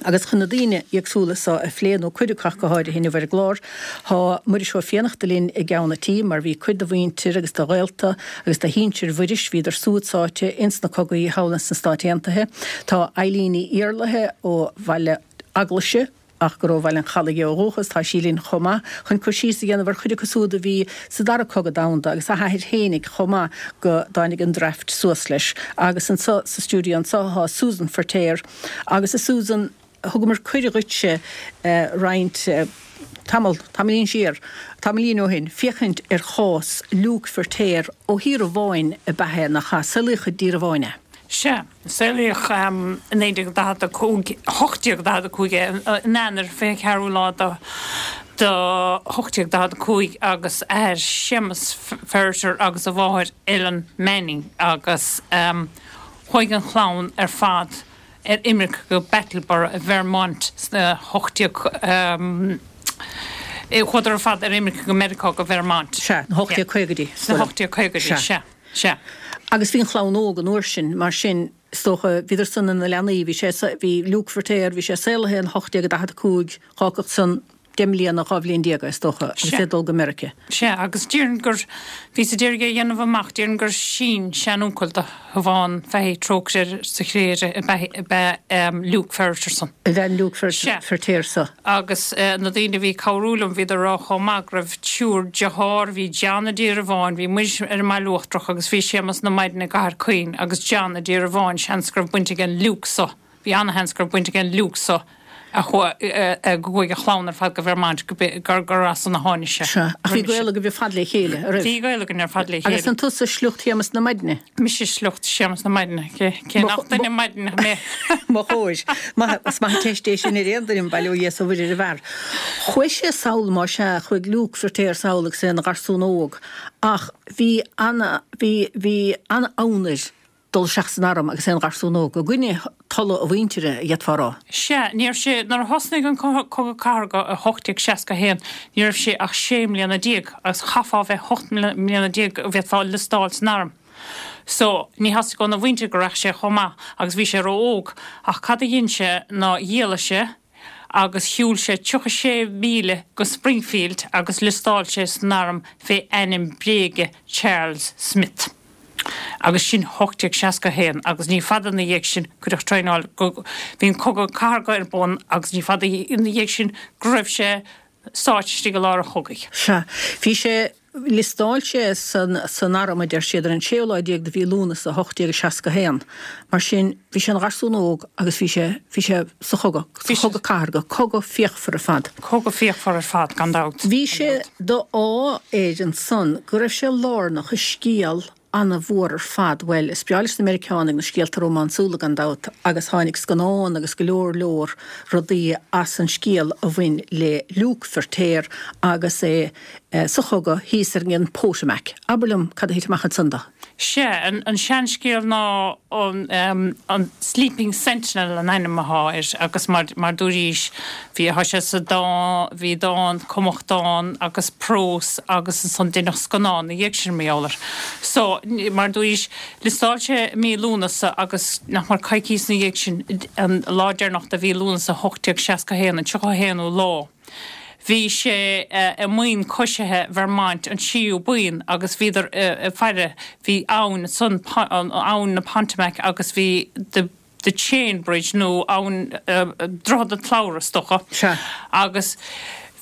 Agus chun na daoine éagsúla so a phlé, nó cuid acu ach go háirithe inniu ar an gclár, thá Muiris Ó Fiannachta linn i gceann a' tí mar bhí cuid de mhuintir agus de ghaolta agus de shinsir Mhuiris, bhíodar súd sáite ins na cogaí thall ins na Stáit Aontaithe. Tá Eilín Ní Iarlaithe ó Bhaile Eaglaise, ach gur ó Bhaile an Chalaidh di ó dhúchas, tá sí linn chomh maith chun cur síos a dhéanamh ar chuid acu súd a bhí sa Dara Cogadh Domhanda agus a hathair fhéinig chomh maith go dtáinig an draft suas leis. Agus anso sa stiúideo anso thá Susan Feirtéar agus a Susan, Thugamar cuireadh dhuitse roinnt tamall, tamaillín siar, tamaillín ó shin, féachaint ar chás Luke Feirtéar ó Thír an Bháin ab ea é, nach ea? Saolaíodh i dTír an Bháin é. Sea, saolaíodh i naoi déag daichead a cúig, ocht déag daichead a cúig é, in Eanáir, fiche ceathrú lá de de ocht déag daichead a cúig agus a athair Séamus Ferriter agus a mháthair Ellen Manning agus chuaigh an chlann ar fad ar imirce go Brattleboro i Vermont sna hocht déag Chuadar ar fad ar imirce go Meiriceá go Vermont. Sea, na hocht déag caogaidí. Sna hocht déag caogaidí, sea, sea. Agus bhí an chlann óg an uair sin, mar sin, is dócha, bhíodar san ina leanaí, bhí sé, bhí Luke Feirtéar, bhí sé saolaithe in hocht déag daichead a cúig, dh'fhágfadh san deich mbliana, dhá bhliain déag é, is dócha, agus é ag dul go Meiriceá. Sea, agus déarfainn gur, bhíos a d'iarraidh é a dhéanamh amach, déarfainn gur sin-seanuncail do Shiobhán Fahey, trócaire air sa chré ab ea Luke Ferriter san. Ab ea an Luke Feirtéar so. Agus na daoine a bhí ag cabhrú liom, bhíodar ag rá chomh maith go raibh triúr dearthár, bhí John i dTír an Bháin, bhí muid ar an mBaile Uachtarach agus bhí Séamus na Maidne i gCathair Caoin agus John i dTír an Bháin, seans go raibh baint ag an Luke so. Bhí ana-sheans go raibh baint ag an Luke so a chuaigh, go gcuaigh a chlann ar fad go Vermont, gur, gur as san a tháinig sé. Sea. Ach bhí gaol agaibh ar fad le chéile, a raibh? Bhí gaol againn ar fad le chéile. Agus an tusa sliocht Shéamus na Maidne? Mise sliocht Shéamus na Maidne. Cé, cé nach duine maidneach mé? Mo chóir. Maith, is maith an teist é sin ar aon duine, bail ó Dhia is ó Mhuire ar an bhfear. Chuaigh sé sall, má sea, chuaigh Luke Feirtéar sall agus é ina gharsún óg, ach bhí ana, bhí, bhí ana-fhonn air dul isteach san arm agus é ina gharsún óg, i gcoinne tola a mhuintire, a d'fhéadfá a rá. Sea, ní raibh sé, nuair a thosnaigh an Cogadh Cathartha i hocht déag seasca a haon, ní raibh sé ach sé mbliana déag, agus chaithfeá a bheith ocht mbliana déag go bhféadfá liostáil san arm. So, ní theastaigh óna mhuintir go rachadh sé chomh maith, agus bhí sé ró-óg. Ach cad a dhein sé ná dhíolaigh sé agus shiúil sé tríocha sé mhíle go Springfield agus liostáil sé san arm fé ainm bréige Charles Smith. Agus sin hocht déag seasca a haon agus ní fada ina dhiaidh sin cuireadh traenáil go, bhí an Cogadh Cathartha ar bun agus ní fada ina dhiaidh sin go raibh sé sáite istigh i lár an chogaidh. Sea. Bhí sé, liostáil sé san, san arm a deir siad ar an séú lá déag de mhí Lúnasa hocht déag seasca a haon. Mar sin, bhí sé ina gharsún óg agus bhí sé, bhí sé sa chogadh, sa Chogadh Cathartha, cogadh fíochmhar ar fad. Cogadh fíochmhar ar fad, gan dabht. Bhí sé d'ádh air ansan go raibh sé lárnach i scéal ana-mhór ar fad. Bhuel, is breá leis na Meiriceánaigh na scéalta rómánsúla gan dabht agus tháinig scannán agus go leor leor rudaí as an scéal a bhain le Luke Feirtéar agus é sa chogadh thíos ar an Potomac. Abair liom cad a thit amach ansan dó. Sea, an seanscéal ná an Sleeping Sentinel an ainm athá air agus mar mar dúraís bhí thá sé sa dán, bhí dán, cumadh dán agus prós agus ansan deineadh scannán ina dhiaidh sin mar gheall air. So, mar dúraís, liostáil sé i mí Lúnasa agus nach mar coicíos ina dhiaidh sin, an lá deireanach de mhí Lúnasa hocht déag seasca a haon, an tríocha a haonú lá, bhí sé i mbuíon coisithe Vermont, an tríú buíon, agus bhíodar ag faire, bhí abhainn ansan, abhainn na Potomac agus bhí the the Chain Bridge nó abhainn, Droichead an tSlabhra is dócha, agus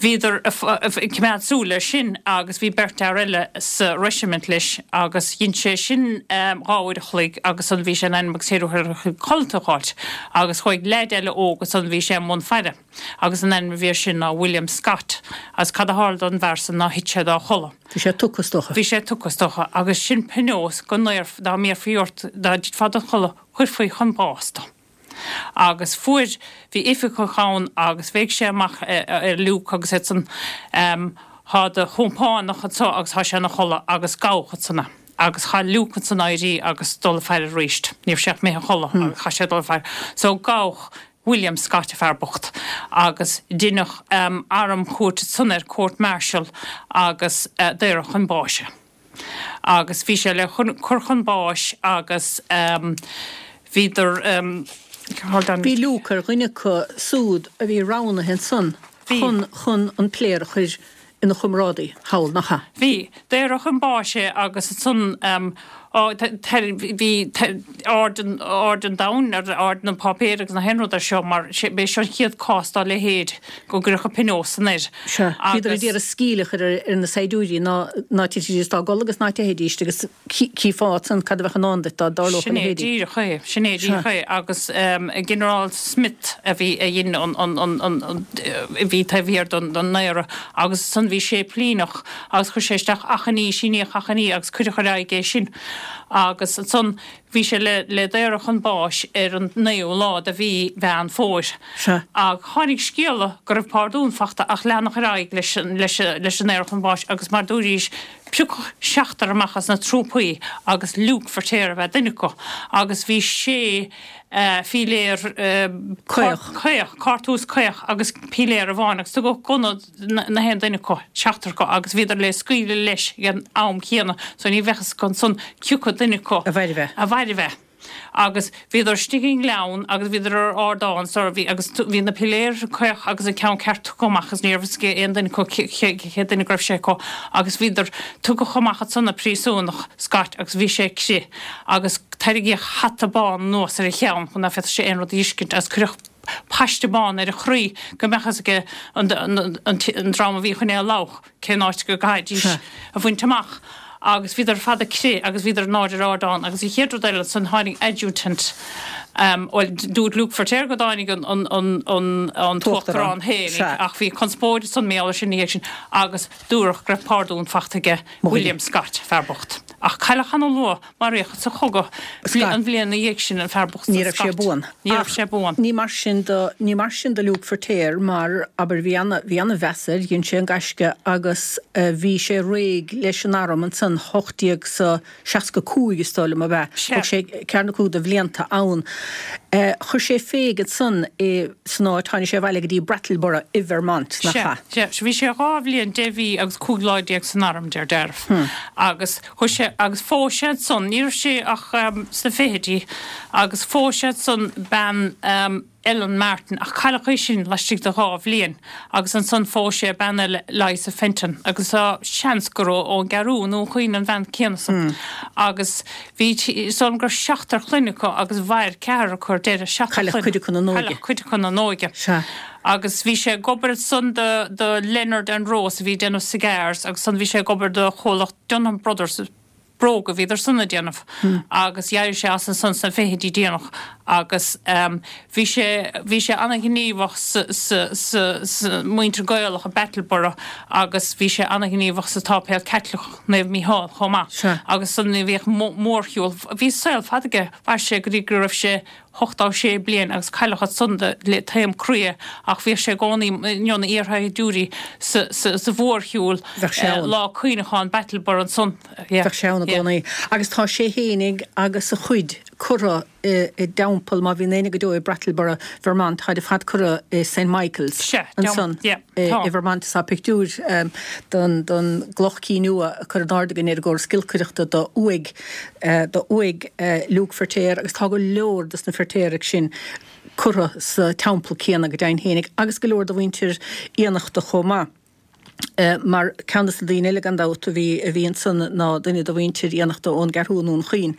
bhíodar ag coimeád súil air sin agus bhí beirt fhear eile sa reisimint leis agus dhein sé sin dhá uair a chloig agus ansan bhí sé in ainm agus ceithre huaire a chloig codlata a dh'fháilt agus chuaigh leaid eile óg ansan bhí sé i mbun faire agus an ainm a bhí air sin ná William Scott agus cad a tharla don bhfear san ná thit sé dá chodladh. Bhí sé tugtha is dócha. Bhí sé tugtha is dócha agus sin pionós go ndéarf, dá mbéarfaí ort, dá dtitfeá do chodladh, chuirfí chun báis tú. Agus fuair, bhí oifigeach ann agus bhéic sé amach ar Luke agus iad san, Thá do chompánach anso agus thá sé ina chodladh agus gabhadh ansan é. Agus chaith Luke ansan éirí agus dul ag faire aríst. Ní raibh sé ach imithe a chodladh agus chaith sé dul ag faire. So gabhadh William Scott, an fear bocht, agus deineadh armchúirt ansan air, court martial, agus daoradh chun báis é. Agus bhí sé le cur chun báis agus bhíodar, hold on. Bhí Luke ar dhuine acu súd a bhí roghnaithe ansan chun chun an pléar a chur ina chomrádaí thall, nach ea? Bhí. Daoradh chun báis é agus ansan Bhí aird an domhain ar aird na páipéir agus na haon rud air seo mar b'é seo an chéad cás dá leithéid go gcuirfeadh pionós san air. Sea, bhíodar ag iarraidh scaoll a chur ar na saighdiúirí ná ná titfidís dá gcodladh agus ná teithfidís agus chífeá ansan cad a bheadh i ndán duit dá dtarlódh a Sin é leithéidí. díreach é, sin é díreach é agus Ginearál Smith a bhí a dhein an an an an an a bhí taobh thiar den den ndaoradh agus ansan bhí séiplíneach agus chuir sé isteach achainí, síníodh achainí agus cuireadh ar aghaidh é sin. Agus ansan bhí sé le le daoradh chun báis ar an naoú lá de mhí Mheán Fómhair. Sea. Ach tháinig scéala go raibh pardún fachta ach leanadh ar aghaidh leis an leis leis an ndaoradh chun báis agus mar dúraís piocadh seachtar amach as na trúpaí agus Luke Feirtéar ab ea duine acu agus bhí sé píléar Caoch. caoch, cartús caoch agus píléar amháin agus tugadh gunna na haon duine acu, seachtar acu agus bhíodar le scaoileadh leis ag an am céanna so ní bheadh fhios ansan cioca duine acu A mhairbh é. a mhairbh é. Agus bhíodar istigh i ngleann agus bhíodar ar ardán so bhí agus bhí na piléir caoch agus an ceann ceart tugtha amach agus ní raibh fhios ag aon duine acu cé duine go raibh sé acu agus bhíodar tugadh amach ansan na príosúnach Scott agus bhí sé crith agus tarraingíodh hata bán anuas ar a cheann chun ná féadfadh sé aon rud a fheiscint agus cuireadh paiste bán ar a chroí go mbeadh fhios aige an, an, an, an dream a bhí chun é a labhadh cén áit go gcaithfidís a bhaint amach. Agus bhíodar fada crith agus bhíodar in airde ar ardán agus an chéad rud eile san tháinig adjutant um, well, dúirt Luke Feirtéar go dtáinig an, an, an, an, an Tuachtarán. tuachtarán féin Sea. ach bhí conspóid san méala sin ina dhiaidh sin agus dúradh go raibh pardún fachta aige William Scott fear bocht. Ach cailleadh ana luath maraíodh sa chogadh Scott. an bhliain ina dhiaidh sin an fear bocht Ní raibh sé buan. Ní raibh Ach sé buan. Ní mar sin do ní mar sin do Luke Feirtéar mar abair bhí ana bhí ana mheas air, dhein sé an gaisce agus uh, bhí sé réidh leis an arm ansan hocht déag sa seasca cúig is dóigh liom ab ea. Sea. Thug sé ceathair nó cúig de bhlianta ann. Uh, chuir sé féig san i san áit tháinig sé abhaile go dtí Brattleboro i Vermont nach Sea, ea. sea, bhí sé dhá bhliain deich mhí agus cúig lá déag san arm deir dealramh. Hmm. Agus chuir sé agus phós sé san ní raibh sé ach um, sna fichidí agus phós sé san bean um, Ellen Martin ach cailleadh í sin laistigh de dhá bhliain agus ansan phós sé bean eile Liza Fenton agus tá seans gur ón gCeathrú nó chuin an bhean céanna san. Hmm. Agus bhí san gur seachtar clainne acu agus mhair ceathrar acu ar deireadh seachtar Cailleadh clainne. cuid acu na n-óige. Cailleadh cuid acu na n-óige. Sea. Agus bhí sé ag obair san do, do Leonard and Rose a bhí déanamh cigars agus san bhí sé ag obair do chomhlacht Dunham Brothers bróga bhíodar san ag déanamh agus d'éirigh sé as an san sna fichidí déanach agus um, bhí sé bhí sé an-ghníomhach sa, sa, sa, sa muintir Gaelach i Brattleboro agus bhí sé an-ghníomhach sa tsáipéal Caitliceach Naomh Mícheál chomh maith Sea. agus san ní bhíodh mórshiúl bhí saol fada aige mhair sé go dtí go raibh sé ochtó sé bliain agus cailleadh ansan le taom croí ach bhí sé i gcónaí na iarshaighdiúirí sa, sa, sa mhórshiúl Bheadh sé ann. lá cuimhneacháin Brattleboro ansan. Yeah. Bheadh sé ann i Yeah. gcónaí. Agus tá sé fhéinig agus a chuid curtha i i dteampall má bhíonn éinne go deo i Brattleboro, Vermont, tá de fad curtha i Saint Michael's Sea, ansan yeah, i tá. i Vermont tá pictiúr um, don don gcloch cinn nua a chur in airde againn ar an gcóras giolcaireachta do uaigh uh, do uaigh uh, Luke Feirtéar agus tá go leor dos na Feirtéaraigh sin curtha sa teampall céanna go deimhin fhéinig agus go leor de mhuintir Fhiannachta chomh maith. Uh, mar ceann de na daoine eile gan dabht a bhí a bhí ansan ná duine de mhuintir Fhiannachta ón gCeathrú i nDún Chaoin.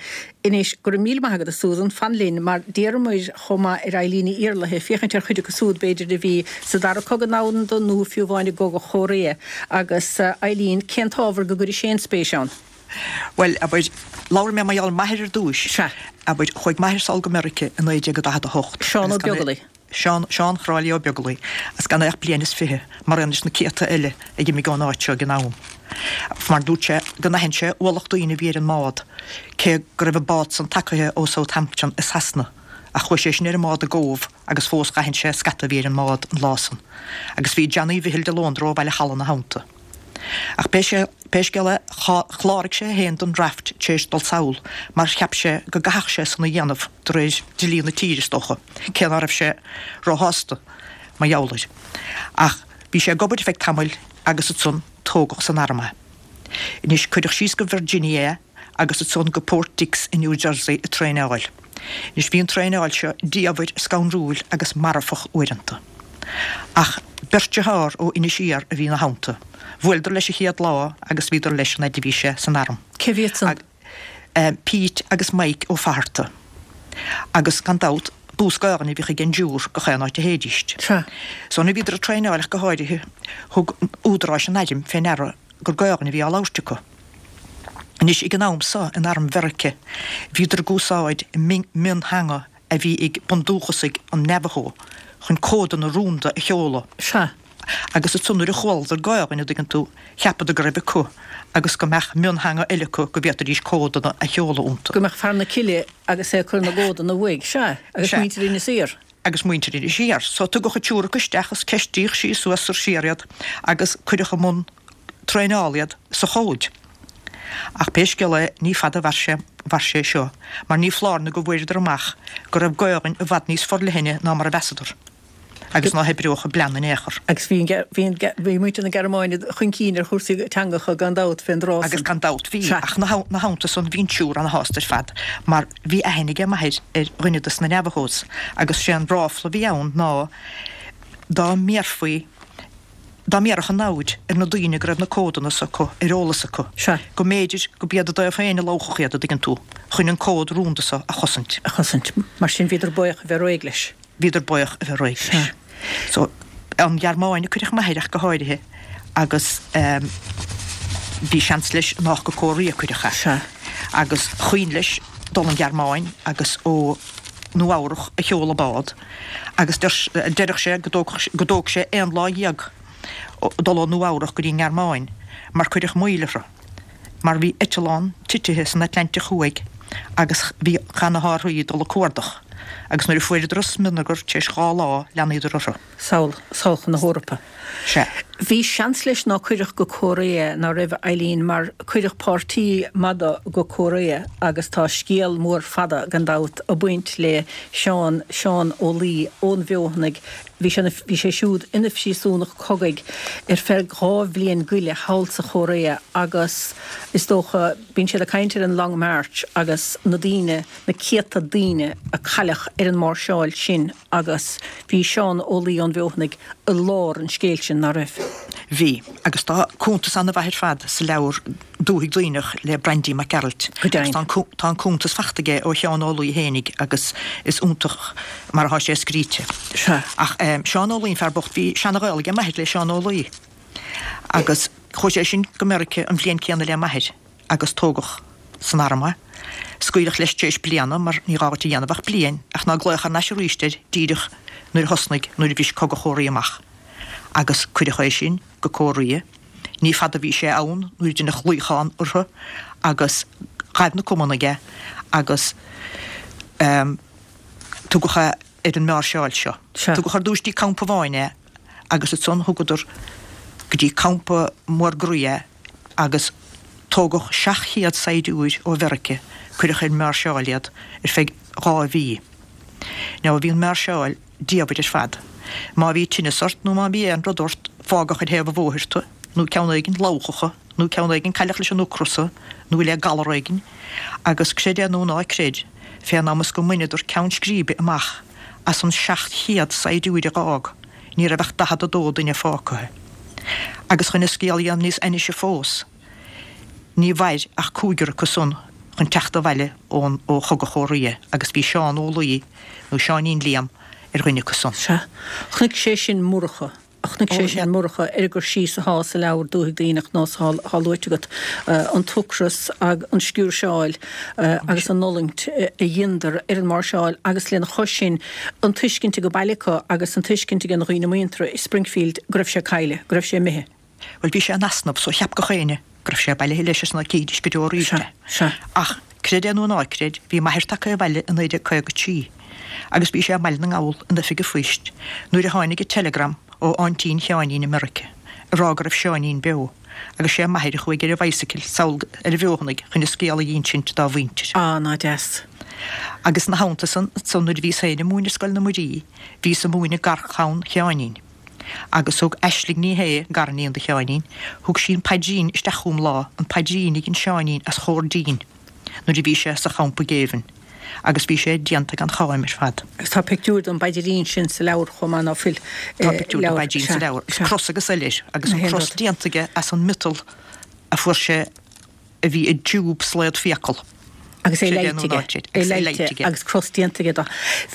Anois go raibh míle maith agat a Susan fan linn mar d'iarramar chomh maith ar Eileen Ní Iarlaithe féachaint ar chuid acu siúd b'fhéidir a bhí sa dara cogadh domhanda nó fiú amháin i gcogadh Chóiré agus uh, Eileen cén t-ábhar go gcuirfidh sé an spéis ann. Well, abair labhair mé mar gheall ar m'athair ar dtús. Sea. Abair chuaigh m'athair sall go Meiriceá i naoi déag daichead a hocht. Seán Ó Agus gan é- Beaglaoich. Seán Seán Chráilí Ó Beaglaoich, agus gan é ach bliain is fiche, mar aon leis na céadta eile a d'imigh ón áit seo ag an am. Mar dúirt sé go n-aithin sé ualach daoine a bhí ar an mbád, cé go raibh an bád san tagaithe ó Southampton i Sasana, ach chuaigh sé sin ar an mbád i gCóbh agus fós d'aithin sé scata a bhí ar an mbád an lá san. Agus bhí Johnny Mhichíl de Lóndra ó Bhaile Chalainn ina theannta. Ach pé sé pé scéal é chláraigh sé féin don draft tar éis dul sall, mar cheap sé go gcaithfeadh sé san a dhéanamh de réir dlí na tíre is dócha, cé nach raibh sé róshásta mar gheall air. Ach bhí sé ag obair feadh tamaill agus ansan tógadh san arm é. Anois cuireadh síos go Virginia agus ansan go Port Dix i New Jersey ag traenáil. Anois bhí an traenáil seo diamhair scanrúil agus marfach uaireanta. Ach beirt dearthár ó Inis Oírr a bhí ina theannta. Bhuaileadar leis an chéad lá agus bhíodar leis an fhad a bhí sé san arm. Cé hiad san? Ag- Pete agus Mike Ó Fatharta. Agus gan dabht, bús Gaelainne a bhíodh ag an dtriúr gach aon áit a théidíst. Sea. So nuair a bhíodar ag traenáil ach go háirithe, thug údaráis an airm fé ndeara gur Gaelainn a bhí á labhairt acu. Anois ag an am so in arm Mheirice, bhíodar ag úsáid miontheanga a bhí ag bundúchasaigh an Navajo chun códanna rúnda a sheoladh. Sea. Agus ansan nuair a chualadar Gaelainn, a dtuigeann tú, cheapadar go raibh acu agus go mbeadh miontheanga eile acu go bhféadfaidís códanna a sheoladh iontu. Go mbeadh fear na cille agus é ag cur na gcódanna uaidh. Sea. Agus muintir Inis Oírr. Agus muintir Inis Oírr. So tugadh an triúr acu isteach is ceistíodh síos suas is siar iad agus cuireadh i mbun traenála iad sa chód. Ach pé scéal é, ní fada a mhair sé, mhair sé seo, mar ní foláir nó go bhfuaireadar amach go raibh Gaelainn i bhfad níos forleithne ná mar a mheasadar, agus ná hoibreodh a bplean in aon chor. Agus bhí an, bhí an, bhí muintir na Gearmáine chun cinn ar chúrsaí teangacha gan dabht fén dtráth san. Agus gan dabht bhí, ach 'na theannta san bhí an triúr ana-shásta ar fad, mar bhí aithne aige m'athair ar dhuine dos na Navajos, agus sé an ráfla a bhí ann ná dá mbéarfaí, Dá mbéarfadh an namhaid ar na daoine go raibh na códanna s'acu ar eolas acu, Sea. go mb'fhéidir go b'iad a dtaobh féin a lobhfadh iad, a dtuigeann tú, chun an cód rúnda so a chosaint. a chosaint. Mar sin bhíodar buíoch a bheith réidh leis. Bhíodar buíoch a bheith réidh leis. Sea. So, an Ghearmáin a cuireadh m'athair ach go háirithe agus ehm bhí seans leis nách go Cóiria a cuireadh é. Sea. Agus chuimhin leis dul an Ghearmáin agus ó Nua Eabhrach a sheol an bád agus deireadh sé go dtóg sé aon lá dhéag dul ó Nua Eabhrach go dtí an nGearmáin mar cuireadh moill orthu mar bhí eitleán titithe san Atlantic Thuaidh agus bhí chaith na hárthaí dul ag cuardach agus nuair a fuaireadar an smionagar tar éis dhá lá leanaíodar orthu. Sall, sall chun na hEorpa. Sea. Bhí seans leis ná cuireadh go Cóiréa ná raibh, Eileen, mar cuireadh páirtí maith de go Cóiréa agus tá scéal mór fada, gan dabht, ag baint le Seán, Seán Ó Laoi ón bhFeothanaigh. Bhí sé, bhí sé siúd ina phríosúnach cogaidh ar feadh dhá bhliain go leith thall sa Chóiréa agus is dócha, bíonn siad ag caint ar an Long March agus na daoine, na céadta daoine a cailleadh ar an máirseáil sin agus bhí Seán Ó Laoi ón bhFeothanaigh i lár an scéil sin, ná raibh? Bhí, agus tá cuntas ana-mhaith ar fad sa leabhar Dúthaigh Duibhneach le Braindí Mac Gearailt. Go deimhin. Agus tá an cuntas fachta aige ó Sheán Ó Laoi fhéinig agus is iontach mar atá sé scríte. Sea. Ach Seán Ó Laoi, an fear bocht, bhí seana-ghaol aige m'athair le Seán Ó Laoi agus chuaigh sé sin go Meirice an bhliain céanna le m'athair. agus tógadh san arm é. Scaoileadh leis tar éis bliana mar ní gá dhuit a dhéanamh ach bliain ach ná glaodh thar n-ais arís air díreach nuair a thosnaigh, nuair a bhris Cogadh Chóirea amach agus cuireadh é sin go Cóirea. Ní fada a bhí sé ann nuair a deineadh luíochán orthu agus ghaibh na Cumannaigh é agus tugadh é ar an máirseáil seo. Tugadh ar dtúis dtí campa amháin é agus ansan thugadar go dtí campa Murgraí é agus tógadh seacht chéad saighdiúir ó Mheirice, cuireadh ar an máirseáil iad ar feadh dhá mhí. Now bhí an máirseáil diamhair ar fad. Má bhí tinneas ort nó má bhí aon rud ort fágadh ar thaobh an bhóthair tu, nó ceann éigin, lobhthacha, nó ceann éigin, cailleadh leis an ocras thu, nó le galar éigin, agus creid é nó ná creid, fén am is go mbaineadar ceann scríbe amach as an seacht chéad saighdiúir a dh'fhág, ní raibh ach daichead a dó duine fágtha. Agus chun an scéal a dhéanamh níos ainnise fós, ní mhair ach cúigear acu san chun teacht abhaile ón ó Chogadh Chóirea agus bhí Seán Ó Laoi, nó Seáinín Liam, ar dhuine acu san. Sea. Chonaic sé sin Murchadh. Chonaic sé sin Murchadh ar an gcur síos athá sa leabhar Dúthaigh Duibhneach nós athá luaite agat, an t-ocras ag an sciúrseáil agus an fhulaingt a dheineadar ar an máirseáil agus lena chois sin an tuiscint ag an baile acu agus an tuiscint ag an dhaoine muinteartha i Springfield go raibh sé caillte, go raibh sé imithe. Bhuel bhí sé in easnamh so cheap gach éinne go raibh sé bailithe leis is ná cídís go deo arís é. Sea, sea. Ach creid é nó ná creid bhí m'athair tagtha abhaile i naoi déag caoga a trí agus bhí sé i mBaile na nGall in oifig an phoist nuair a tháinig an teileagram ó aintín Sheáinín i Meirice ag rá go raibh Seáinín beo agus sé m'athair a chuaigh ar a bhicycle sall ar an bhFeothanaigh chun an scéal a dh'insint dá mhuintir. Á, ná deas. Agus ina theannta san, ansan nuair a bhíos féin ag múineadh Scoil na Muirí, bhíos ag múineadh garchlann Sheáinín. Agus thug Aisling Ní Shé, gariníon do Sheáinín, thug sí an paidrín isteach chugam lá, an paidrín a dhein Seáinín as chomh dian nuair a bhí sé sa champa géibhinn. Agus bhí sé déanta gan cháim ar fad. Agus tá pictiúr den bpaidrín sin sa leabhar chomh maith, ná fuil? Tá pictiúr den bpaidrín sa leabhar. Is cros agus eile air, agus an cros déanta aige as an miotal a fuair sé a bhí i dtiúb slaod fiacal. Agus é léite aige. É léite agus cros déanta aige de.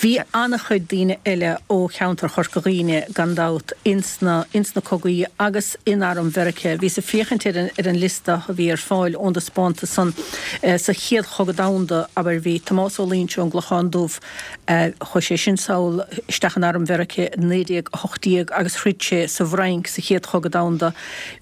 Bhí an-chuid daoine eile ó cheantar Chorca Dhuibhne gan dabht ins na ins na cogaí agus in arm Mheiriceá. Bhíos ag féachaint ar an ar an liosta a bhí ar fáil ón dtaispeántas san sa Chéad Chogadh Domhanda, abair, bhí Tomás Ó Loingsigh ón gClochán Dubh, chuaigh sé sin sall isteach in arm Mheiriceá i naoi déag a hocht déag agus throid sé sa bhFrainc sa Chéad Chogadh Domhanda.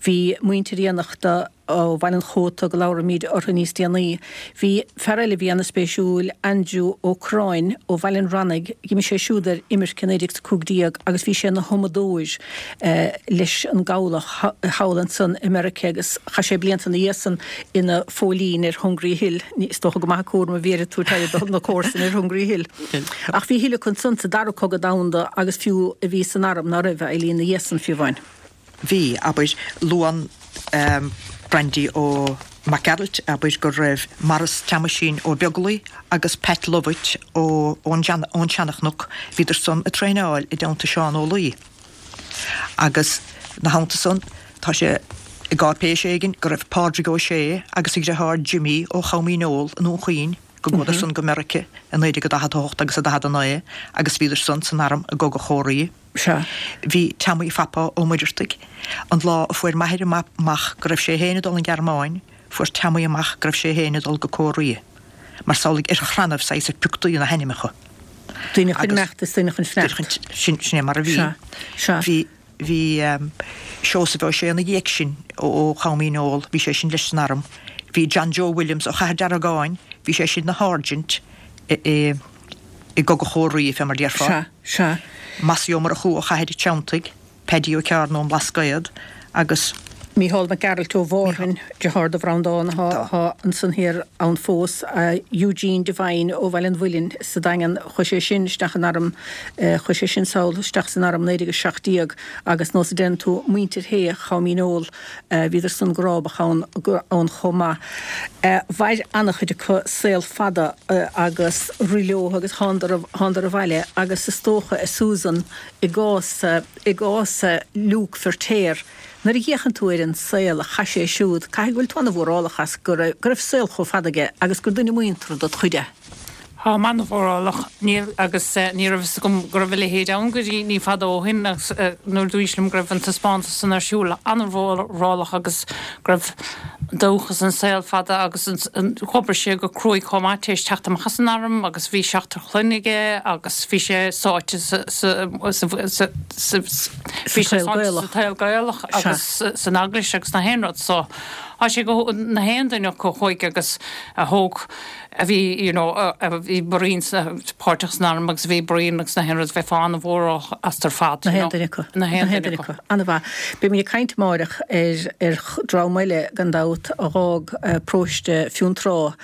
Bhí muintir Fhiannachta, ó Bhaile an Chóta go labhróimid orthu níos déanaí. Bhí fear eile a bhí ana-spéisiúil, Aindriú Ó Corráin ó Bhaile an Rannaigh, d'imigh sé siúd ar imirce i naoi déag cúig déag agus bhí sé ina thumadóir leis an gcabhlach thall ansan i Meiriceá agus chaith sé blianta ina dhiaidh san ina phóilín ar Hungry Hill, is dócha go maith an cúram a bhí air ag tabhairt aire do na comharsana ar Hungry Hill. Ach bhí a thuilleadh acu ansan sa Dara Cogadh Domhanda agus fiú a bhí san arm, ná raibh, a Eileen, ina dhiaidh san fiú amháin. Bhí, abair, luann Brandy Ó Mac Gearailt, abair, go raibh Maurice Teamaisín Ó Beaglaoi agus Pat Lovett ó ón Seanchnoc, bhíodar san ag traenáil i dteannta Seán Ó Laoi. Agus 'na theannta san, tá sé i gcáipéis éigin go raibh Pádraig Ó Sé agus a dheartháir Jimmy ó Chom Dhíneol i nDún Chaoin, go gcuadar san go Meirice i naoi déag a daichead a hocht agus a daichead a naoi agus bhíodar san san arm i gCogadh Chóiré. Sea. Bhí Teamaí Phapa Ó Muireartaigh. An lá a fuair m'athair amach go raibh sé féin ag dul an Ghearmáin, fuair Teamaí amach go raibh sé féin ag dul go Cóiré. Mar samhlaigh ar chrannaibh saghas a pioctaí na hainmneacha. Daoine chun imeacht is daoine chun fanacht. Sin é mar a bhí. Sea. Sea. Bhí. Bhí Seosamh Ó Sé ina dhiaidh sin ó Chom Dhíneol, bhí sé sin leis san arm. Bhí John Joe Williams ó Chathair Deargáin, bhí sé sin 'na sháirsint i gCogadh Chóiré, fé mar déarfá. Sea, sea. Mossie Ó Murchú ó Chathair an Treanntaigh, Paddy Ó Ceárna ón mBlascaod agus. Mícheál Mac Gearailt ó Mhárthain, deartháir do Bhreandán, atá ansan thiar ann fós, Eugene Devine ó Bhaile an Mhuilinn sa Daingean, chuaigh sé sin isteach in arm, chuaigh sé sin sall isteach san arm naoi déag a seacht déag agus nós a deireann tú, muintir Shé Chom Dhíneol, bhíodar san go rábach ann ann chomh maith. Mhair an-chuid acu saol fada agus rith leo agus thánadar thánadar abhaile agus is dócha, a Susan, i gcás i gcás Luke Feirtéar, Nuair a fhéachann tú ar an saol a chaith sé siúd, caithfidh go bhfuil tú an-mhórálach as go raibh go raibh saol chomh fada aige agus gur duine muinteartha dod chuid é. Táim an-mhórálach. Níl, agus ní raibh fhios agam go raibh a leithéid ann go dtí ní fada ó shin agus nuair a dúraís liom go raibh an taispeántas san ar siúl, an-mhórálach agus go raibh dóchas an saol fada agus d'oibrigh sé go cruaidh chomh maith tar éis teacht amach as an arm agus bhí seachtar clainne aige agus bhí sé sáite sa sa sa sa bhí sé sáite sa tsaol Gaelach agus san eaglais agus na haon rud so tá sé go na haon duine acu a chuaigh agus a thóg a bhí you know a bhí broinn páirteach san arm agus a bhí broinn agus na haon rud bheifeá an-mhórálach astu ar fad Na haon duine acu. Na haon duine acu. An-mhaith. Beimid ag caint amáireach ar ar dhream eile gan dabht a dh'fhág paróiste Fionntrá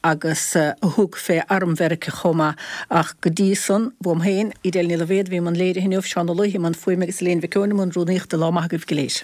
agus a thug fé arm Mheiriceá chomh maith. Ach go dtí san, uaim féin, Edel Ní Loibhéad, a bhí i mbun léirithe inniu, Seán Ó Laoithe i mbun fuaime agus Elaine Mhic Eoin i mbun rúnaíochta. Lá maith agaibh go léir.